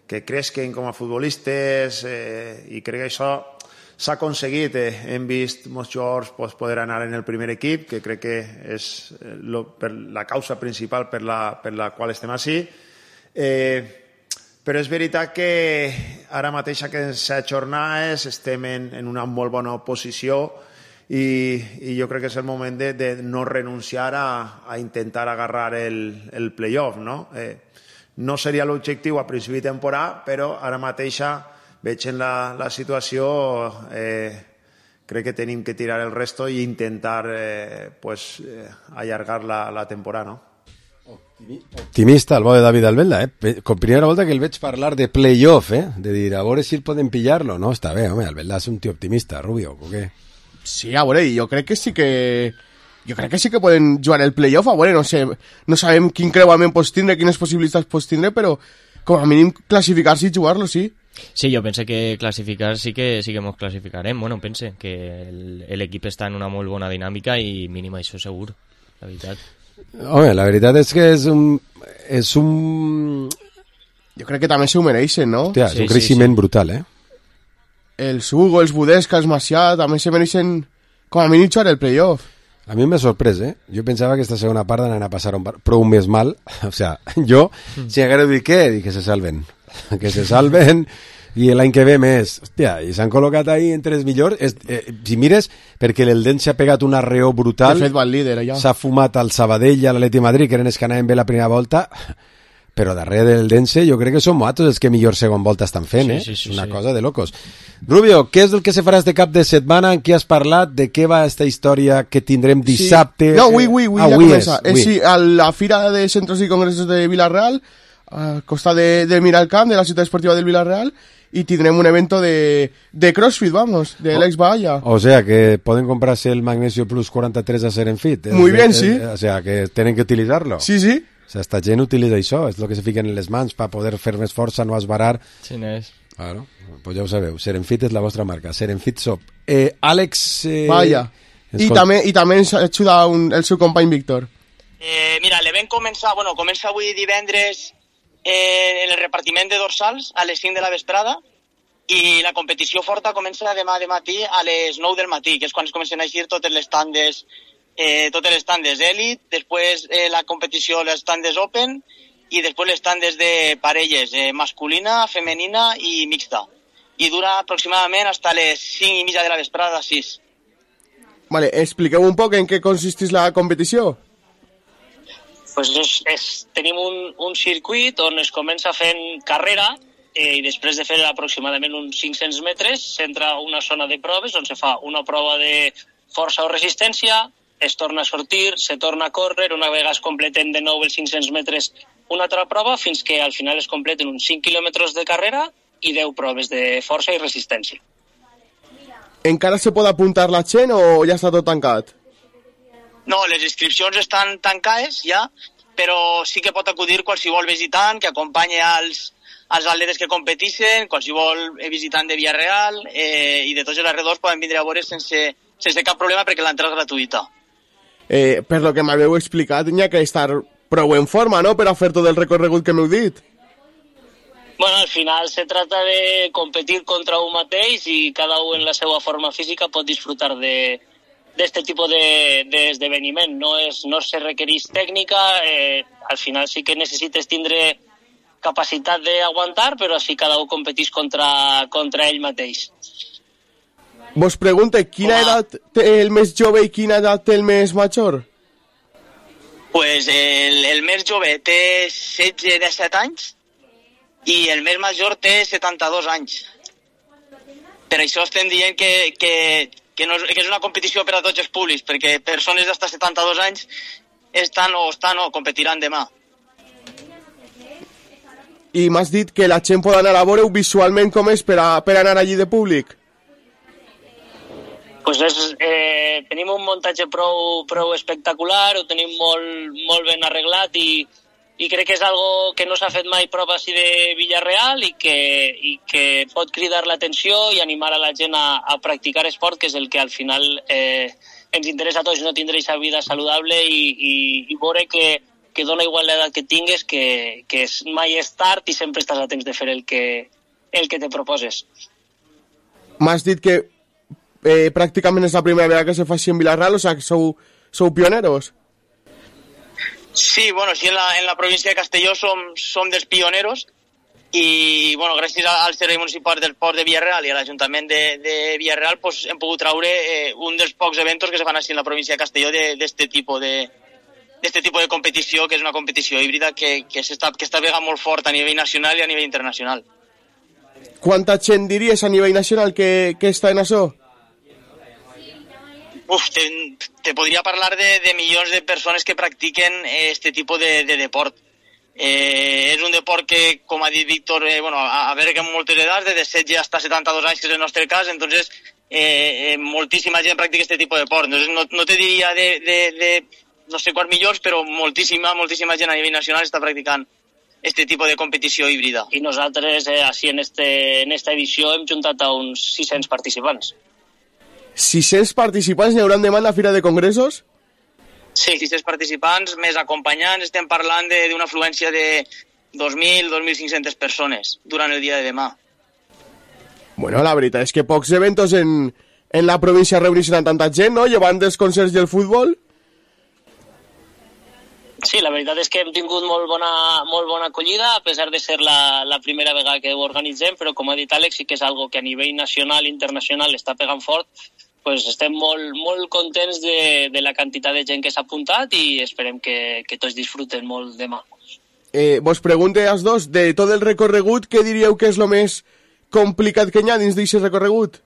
que cresquen com a futbolistes, i crec que això s'ha aconseguit. Hem vist molts jugadors poder anar en el primer equip, que crec que és la causa principal per la qual estem així. Però és veritat que ara mateix aquestes jornades estem en una molt bona posició i jo crec que és el moment de no renunciar a intentar agarrar el playoff, no? No seria l'objectiu a principi de temporada, però ara mateixa veig en la situació, crec que tenim que tirar el resto i intentar allargar la temporada, no? Optimista el bo de David Albelda, Com primera volta que el veig parlar de playoff, de dir, a veure si el podem pillar-lo. No, està bé, home, Albelda és un tio optimista, Rubio, o què? Sí, a veure, jo crec que sí que... Jo crec que sí que poden jugar el playoff, a veure, no sé, no sabem quin creuament pots tindre, quines possibilitats pots tindre, però com a mínim classificar-se i jugar-lo, sí. Sí, jo pense que classificar sí que ens classificarem. Bueno, pense que l'equip està en una molt bona dinàmica i mínim això segur, la veritat. Home, la veritat és que és un... Jo crec que també s'ho mereixen, no? Hòstia, és un creixement brutal, eh? Els Hugo, els Budesca, els Macià, també se mereixen com a mínim jugar el playoff. A mi m'ha sorprès, eh? Jo pensava que aquesta segona part anaven a passar prou més mal. O sea, jo, si haguera dit què, dic que se salven. Que se salven i l'any que ve més. Hòstia, i s'han col·locat ahí entre els millors. Si mires, perquè l'Eldense s'ha pegat un arreó brutal. De fet, va el líder, allà. S'ha fumat al Sabadell i a l'Atleti de Madrid, que eren els que anaven bé la primera volta. Però darrere del Dense jo crec que són moatos els que millor segon volta estan fent, una cosa de locos. Rubio, què és el que se farà este cap de setmana? En què has parlat? De què va esta història que tindrem dissabte? No, avui ja comença. Sí, a la Fira de Centros i Congressos de Villarreal, a costa de Miralcamp, de la ciutat esportiva del Villarreal, y tendremos un evento de CrossFit, vamos, de Alex Bahaya. O sea, que pueden comprarse el Magnesio Plus 43 a Serenfit. Muy bien, sí. O sea, que tienen que utilizarlo. Sí, sí. O sea, esta gent utilitza això, és el que se fiquen en les mans per poder fer més força, no esbarar. Sí, n'és. Claro, pues ja ho sabeu, Serenfit és la vostra marca, Serenfit Shop. Àlex... Vaya. I també ens ajuda el seu company Víctor. Mira, l'event comença avui divendres en el repartiment de dorsals a les 5 de la vesprada i la competició forta comença demà de matí a les 9 del matí, que és quan es comencen a eixir totes les tandes Elite, després la competició, les tandes Open i després les tandes de parelles, masculina, femenina i mixta. I dura aproximadament fins a les 5:30 de la vesprada, 6. Vale, expliqueu un poc en què consisteix la competició. Pues tenim un circuit on es comença fent carrera i després de fer aproximadament uns 500 metres s'entra una zona de proves on se fa una prova de força o resistència, es torna a sortir, se torna a córrer, una vegada es completen de nou els 500 metres una altra prova fins que al final es completen uns 5 quilòmetres de carrera i 10 proves de força i resistència. Encara se pot apuntar la gent o ja està tot tancat? No, les inscripcions estan tancades ja, però sí que pot acudir qualsevol visitant que acompanya als atletes que competeixen, qualsevol visitant de Villarreal i de tots els arredors poden vindre a veure sense cap problema perquè l'entrada és gratuïta. Per lo que m'haveu explicat, n'hi ha que estar prou en forma, no?, per a fer tot el recorregut que m'heu dit. Bueno, al final se trata de competir contra un mateix i cada un en la seva forma física pot disfrutar d'este tipus d'esdeveniment. No se requereix tècnica, al final sí que necessites tindre capacitat d'aguantar, però així cada un competeix contra ell mateix. Vos pregunte, quina edat té el més jove i quina edat té el més major? Pues el més jove té 16-17 anys i el més major té 72 anys. Per això estem dient que és una competició per a tots els públics, perquè persones d'hasta 72 anys estan o competiran demà. I m'has dit que la gent pot anar a veure visualment com és per anar allí de públic? Pues tenim un muntatge prou espectacular, ho tenim molt ben arreglat i crec que és algo que no s'ha fet mai prop així de Villarreal i que pot cridar l'atenció i animar a la gent a practicar esport, que és el que al final ens interessa a tots, no tindre aquesta vida saludable i veure que dona igual l'edat que tingues, que mai és tard i sempre estàs a temps de fer el que te proposes. M'has dit que pràcticament és la primera vegada que se fa així en Villarreal, o sigui que sou pioneros. Sí, bueno, sí, en la província de Castelló som dels pioneros i, bueno, gràcies al Servei Municipal del Port de Villarreal i a l'Ajuntament de Villarreal pues, hem pogut traure un dels pocs eventos que se fan així en la província de Castelló d'este tipus de competició, que és una competició híbrida que està pegant molt fort a nivell nacional i a nivell internacional. Quanta gent diries a nivell nacional que està en això? Te podria parlar de milions de persones que practiquen este tipus de deport. És un deport que, com ha dit Víctor, a veure que en moltes edats, de 17 hasta 72 anys, que és el nostre cas, entonces moltíssima gent practica este tipus de deport. Entonces no te diria de no sé quants milions, però moltíssima gent a nivell nacional està practicant este tipus de competició híbrida. I nosaltres, així en esta edició, hem juntat a uns 600 participants. 600 participants n'hi hauran demà en la Fira de Congressos? Sí, 600 participants, més acompanyants, estem parlant d'una afluència de 2.000-2.500 persones durant el dia de demà. Bueno, la veritat és que pocs eventos en la província reuneixen a tanta gent, no? Llevant dels concerts i el futbol. Sí, la veritat és que hem tingut molt bona acollida, a pesar de ser la primera vegada que ho organitzem, però com ha dit Àlex, sí que és algo que a nivell nacional i internacional està pegant fort. Pues estem molt contents de la quantitat de gent que s'ha apuntat i esperem que tots disfruten molt demà. Vos pregunte als dos, de tot el recorregut, què diríeu que és el més complicat que hi ha dins d'aquest recorregut?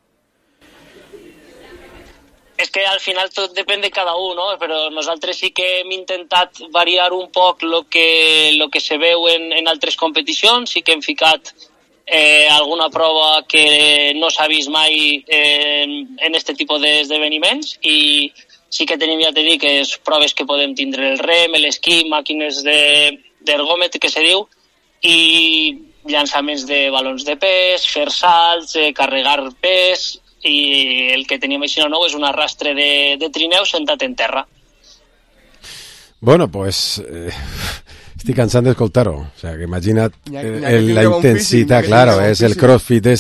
És que al final tot depèn de cada un, no? Però nosaltres sí que hem intentat variar un poc lo que se veu en altres competicions, sí que hem ficat alguna prova que no s'ha vist mai en este tipus d'esdeveniments i sí que tenim, ja t'he dit, que és proves que podem tindre el rem, l'esquí, màquines d'ergòmetre, que se diu, i llançaments de balons de pes, fer salts, carregar pes, i el que tenim així nou és un arrastre de trineu sentat en terra. Bueno, pues estic cansant d'escoltar-ho. O sea, que imagina't la intensitat, claro, és el crossfit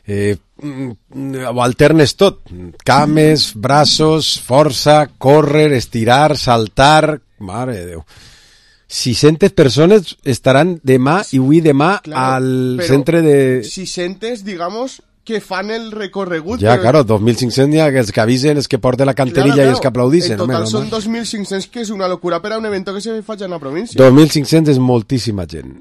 ho alternes tot. Cames, braços, força, córrer, estirar, saltar... Mare de Déu. 600 persones estaran demà i avui demà al centre de... 600, digamos... que fan el recorregut. Ja, claro, 2.500 ja, que els que avisen, els que porten la canterilla i els que aplaudixen. En total són 2.500, que és una locura per a un evento que se fa en la província. 2.500 és moltíssima gent.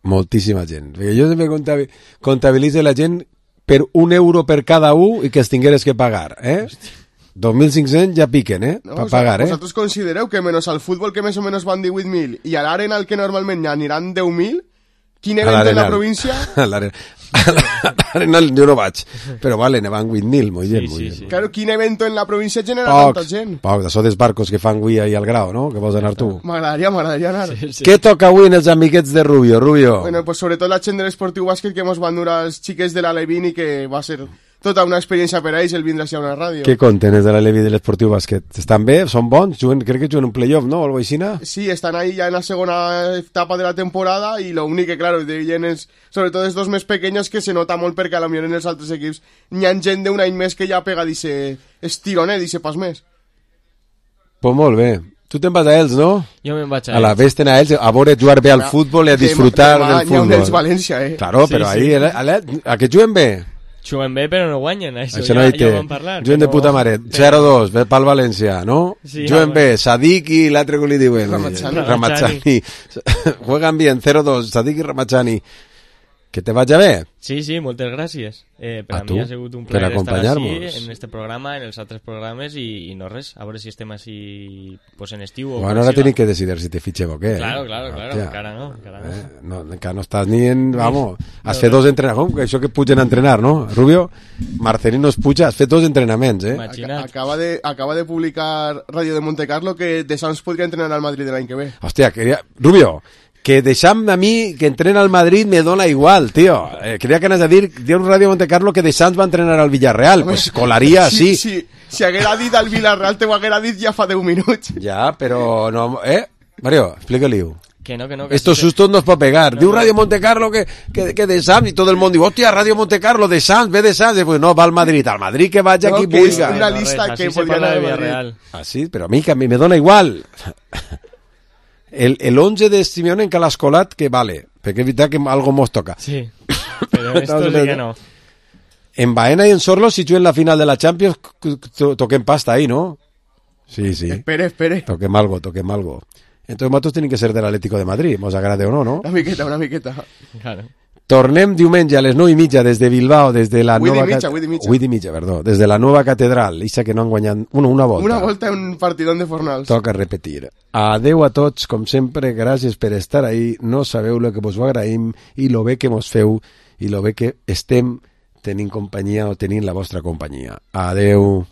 Moltíssima gent. Perquè jo sempre comptabilitzo la gent per €1 per cada un i que els tingueres que pagar. 2.500 ja piquen, per pagar. Vosaltres considereu que menys al futbol, que més o menys van 18.000, i a l'Arena, al que normalment ja aniran 10.000, quin event en la província? A l'Arena jo no vaig, però vale, ne van 8.000, molt gent. Claro, quin evento en la província genera tanta gent? Poc, d'això dels barcos que fan avui ahí al Grau, no? Que vols anar tu? M'agradaria anar. Què toca avui en els amiguets de Rubio? Bueno, pues sobretot la gent de l'Esportiu Bàsquet que mos van dur als xiques de l'Alevín i que va ser tota una experiència per a ells el vindre a una ràdio. Què conten els de l'Aleví de l'Esportiu Bàsquet? Estan bé? Són bons? Crec que juguen un playoff, no? O algo així? Sí, estan ahí ja en la segona etapa de la temporada i lo únic que, claro, deien és, sobretot els dos més pequeños, que se nota molt perquè a la millor en els altres equips n'hi ha gent d'un any més que ja pega dice estironet, dice pas més. Pues molt bé. Tu te'n vas a ells, no? Jo me'n vaig a la vés a ells, a veure jugar bé al futbol i a disfrutar del futbol. N'hi ha un València, Claro, però ahí, a que juguen bé? Juguen bé, però no guanyen, això no ja vam parlar. Juguen de puta mare. 0-2, ve pel València, no? Sí, juguen bé, Sadik i l'altre que li diuen. Ramachani. Juegan bien, 0-2, Sadik i Ramachani. Que te vagi bé. Sí, moltes gràcies. Per a mi ha sigut un plaer estar així en este programa, en els altres programes i no res, a veure si estem així pues, en estiu. Bueno, ara tenim que decidir si te fitxem o què. Claro, encara no. Encara no estàs ni en... Vamos, has fet 2 entrenaments, això que pugen a entrenar, no? Rubio, Marcelino es puja, has fet 2 entrenaments, Acaba de publicar Radio de Montecarlo que De Sants podria entrenar al Madrid l'any que ve. Hòstia, Rubio, que deixam a mi que entrena al Madrid me dona igual, tío. Creia que anés a dir un Radio Montecarlo que De Sants va entrenar al Villarreal. Pues colaria, sí. Si haguera dit al Villarreal, te ho haguera dit ja fa 10 minuts. Ja, però no... Mario, explica-li-ho. Que no. Estos sustos nos puede pegar. Diu Radio Montecarlo que De Sants, y todo el mundo diu, hòstia, Radio Montecarlo, De Sants, ve De Sants. Pues no, va al Madrid que vaya aquí vulga. És una lista que podria anar al Madrid. Ah, sí, però a mi me dona igual. El 11 de Simeone en Calascolat, que vale, perquè és veritat que algo mos toca. Sí, però esto sí que no. En Baena y en Sorlo, si juguen la final de la Champions, toquen pasta ahí, ¿no? Sí. Espere. Toquem algo. Entonces, nosotros tienen que ser del Atlético de Madrid, mos agrade o no, ¿no? Una miqueta. Claro. Tornem diumenge a les 9:30 des de Bilbao, des de la nova... 8:30, perdó. Des de la nova catedral. Ixa que no han guanyat una volta. Una volta en un partidón de Fornals. Toca repetir. Adeu a tots, com sempre, gràcies per estar ahí. No sabeu lo que vos ho agraïm i lo bé que mos feu i lo bé que estem tenint companyia o tenint la vostra companyia. Adeu.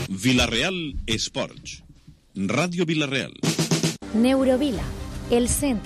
Vilareal Esports. Ràdio Vilareal. Neurovila, el centre